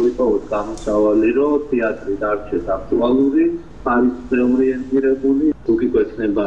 ვიპოვოთ გამოსავალი, რომ თეატრი დარჩეს აქტუალური, არის ორიენტირებული, თუ კი გვექნება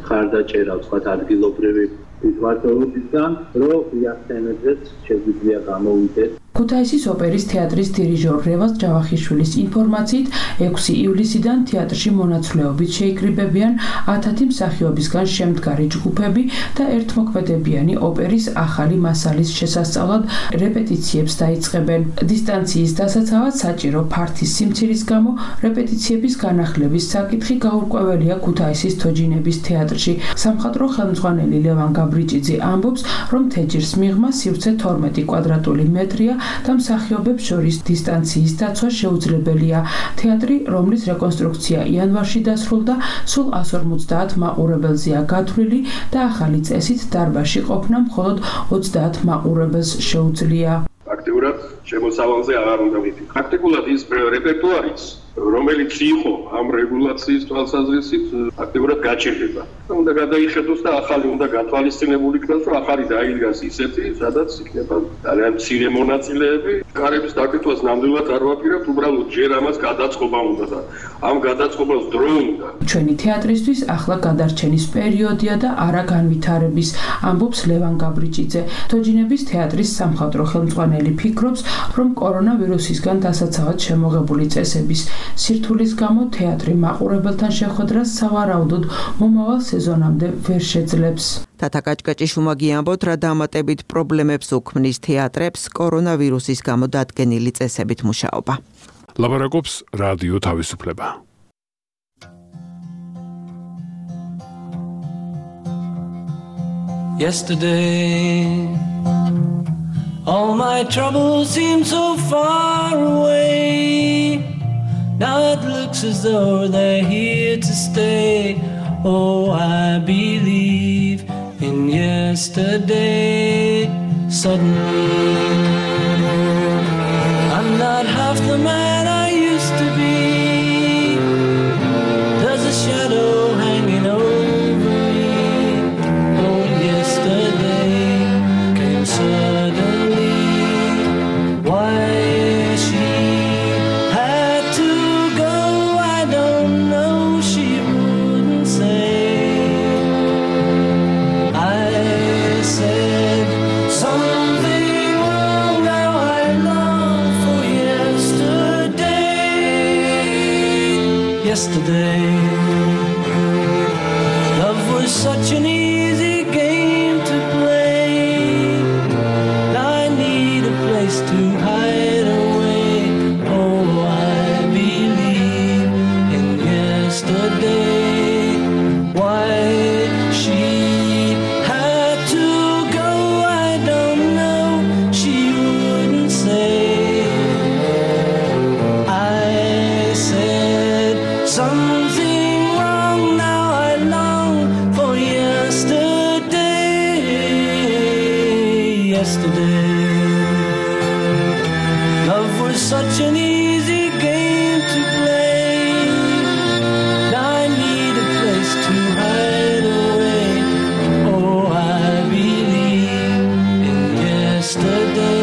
ხარდაჭერა სხვა ადგილობრივი თვითმმართველობისგან, რომ იახტენებდეს შეგვიძლია გამოვიდეთ. ქუთაისის ოპერის თეატრის დირიჟორ რევაზ ჯავახიშვილის ინფორმაციით, 6 ივლისიდან თეატრში მონაცვლეობით შეიკრიბებიან 1000 მსახიობისგან შემდგარი ჯგუფები და ერთმოქმედებიანი ოპერის ახალი მასალის შესასწავლად რეპეტიციებს დაიწყებენ. დისტანციის დასაცავად საჭირო ფართის სიმცირის გამო რეპეტიციების განახლების საკითხი გაურკვეველია ქუთაისის თოჯინების თეატრში. სამხატვრო ხელმძღვანელი ლევან გაბრიჭიძე ამბობს, რომ თეჯის მიღმა სივრცე 12 კვადრატული მეტრია და მსახიობებს შორის დისტანციის დაცვა შეუძლებელია. თეატრი, რომლის რეკონსტრუქცია იანვარში დასრულდა, სულ 150 მაყურებელზეა გათვლილი და ახალი წესით დარბაზში ყოფნა მხოლოდ 30 მაყურებელს შეუძლია. აქტიურად შემოსავალზე აღარ უნდა ვიდე. პრაქტიკულად ის რეპერტუარიც, რომელიც იყო ამ რეგულაციის თვალსაზრისით, აქტიურად გაჩერდება. უნდა გადაიხედოს და ახალი უნდა გათვალისწინებული იქნას, რომ ახალი დაიდგას ისეთი, სადაც იქნება ძალიან მცირე მონაწილეები. კარების დაკითვას ნამდვილად არ ვაპირებთ, უბრალოდ ჯერ ამას გადაწყობა უნდა და ამ გადაწყობას დრო უნდა. ჩვენი თეატრისთვის ახლა გადარჩენის პერიოდია და არა განვითარების, ამბობს ლევან გაბრიჭიძე. თოჯინების თეატრის სამხატვრო ხელმძღვანელი ფიქრობს, რომ კორონავირუსისგან დასაცავად შემოღებული წესების სირთულის გამო თეატრი მაყურებელთან შეხვედრას სავარაუდოდ მომავალ სეზონამდე ვერ შეძლებს. თათა კაჭკაჭიშვილმა გიამბოთ, რა დამატებით პრობლემებს უქმნის თეატრებს კორონავირუსის გამო დადგენილი წესებით მუშაობა. ლაპარაკობს რადიო თავისუფლება. Yesterday all my troubles seem so far away. Now it looks as though they're here to stay. Oh, I believe in yesterday. Suddenly, I'm not half the man I used to be. There's a shadow hanging over me. Oh, yesterday came suddenly. Why she had to go, I don't know, she wouldn't say. I said something wrong, now I long for yesterday. Yesterday, love was such an easy game to play. Now I need a place to hide away. Oh, I believe in yesterday. Why she had to go, I don't know, she wouldn't say. I said something wrong, now I long for yesterday. Yesterday, love was such an easy game to play. Now I need a place to hide away. Oh, I believe in yesterday.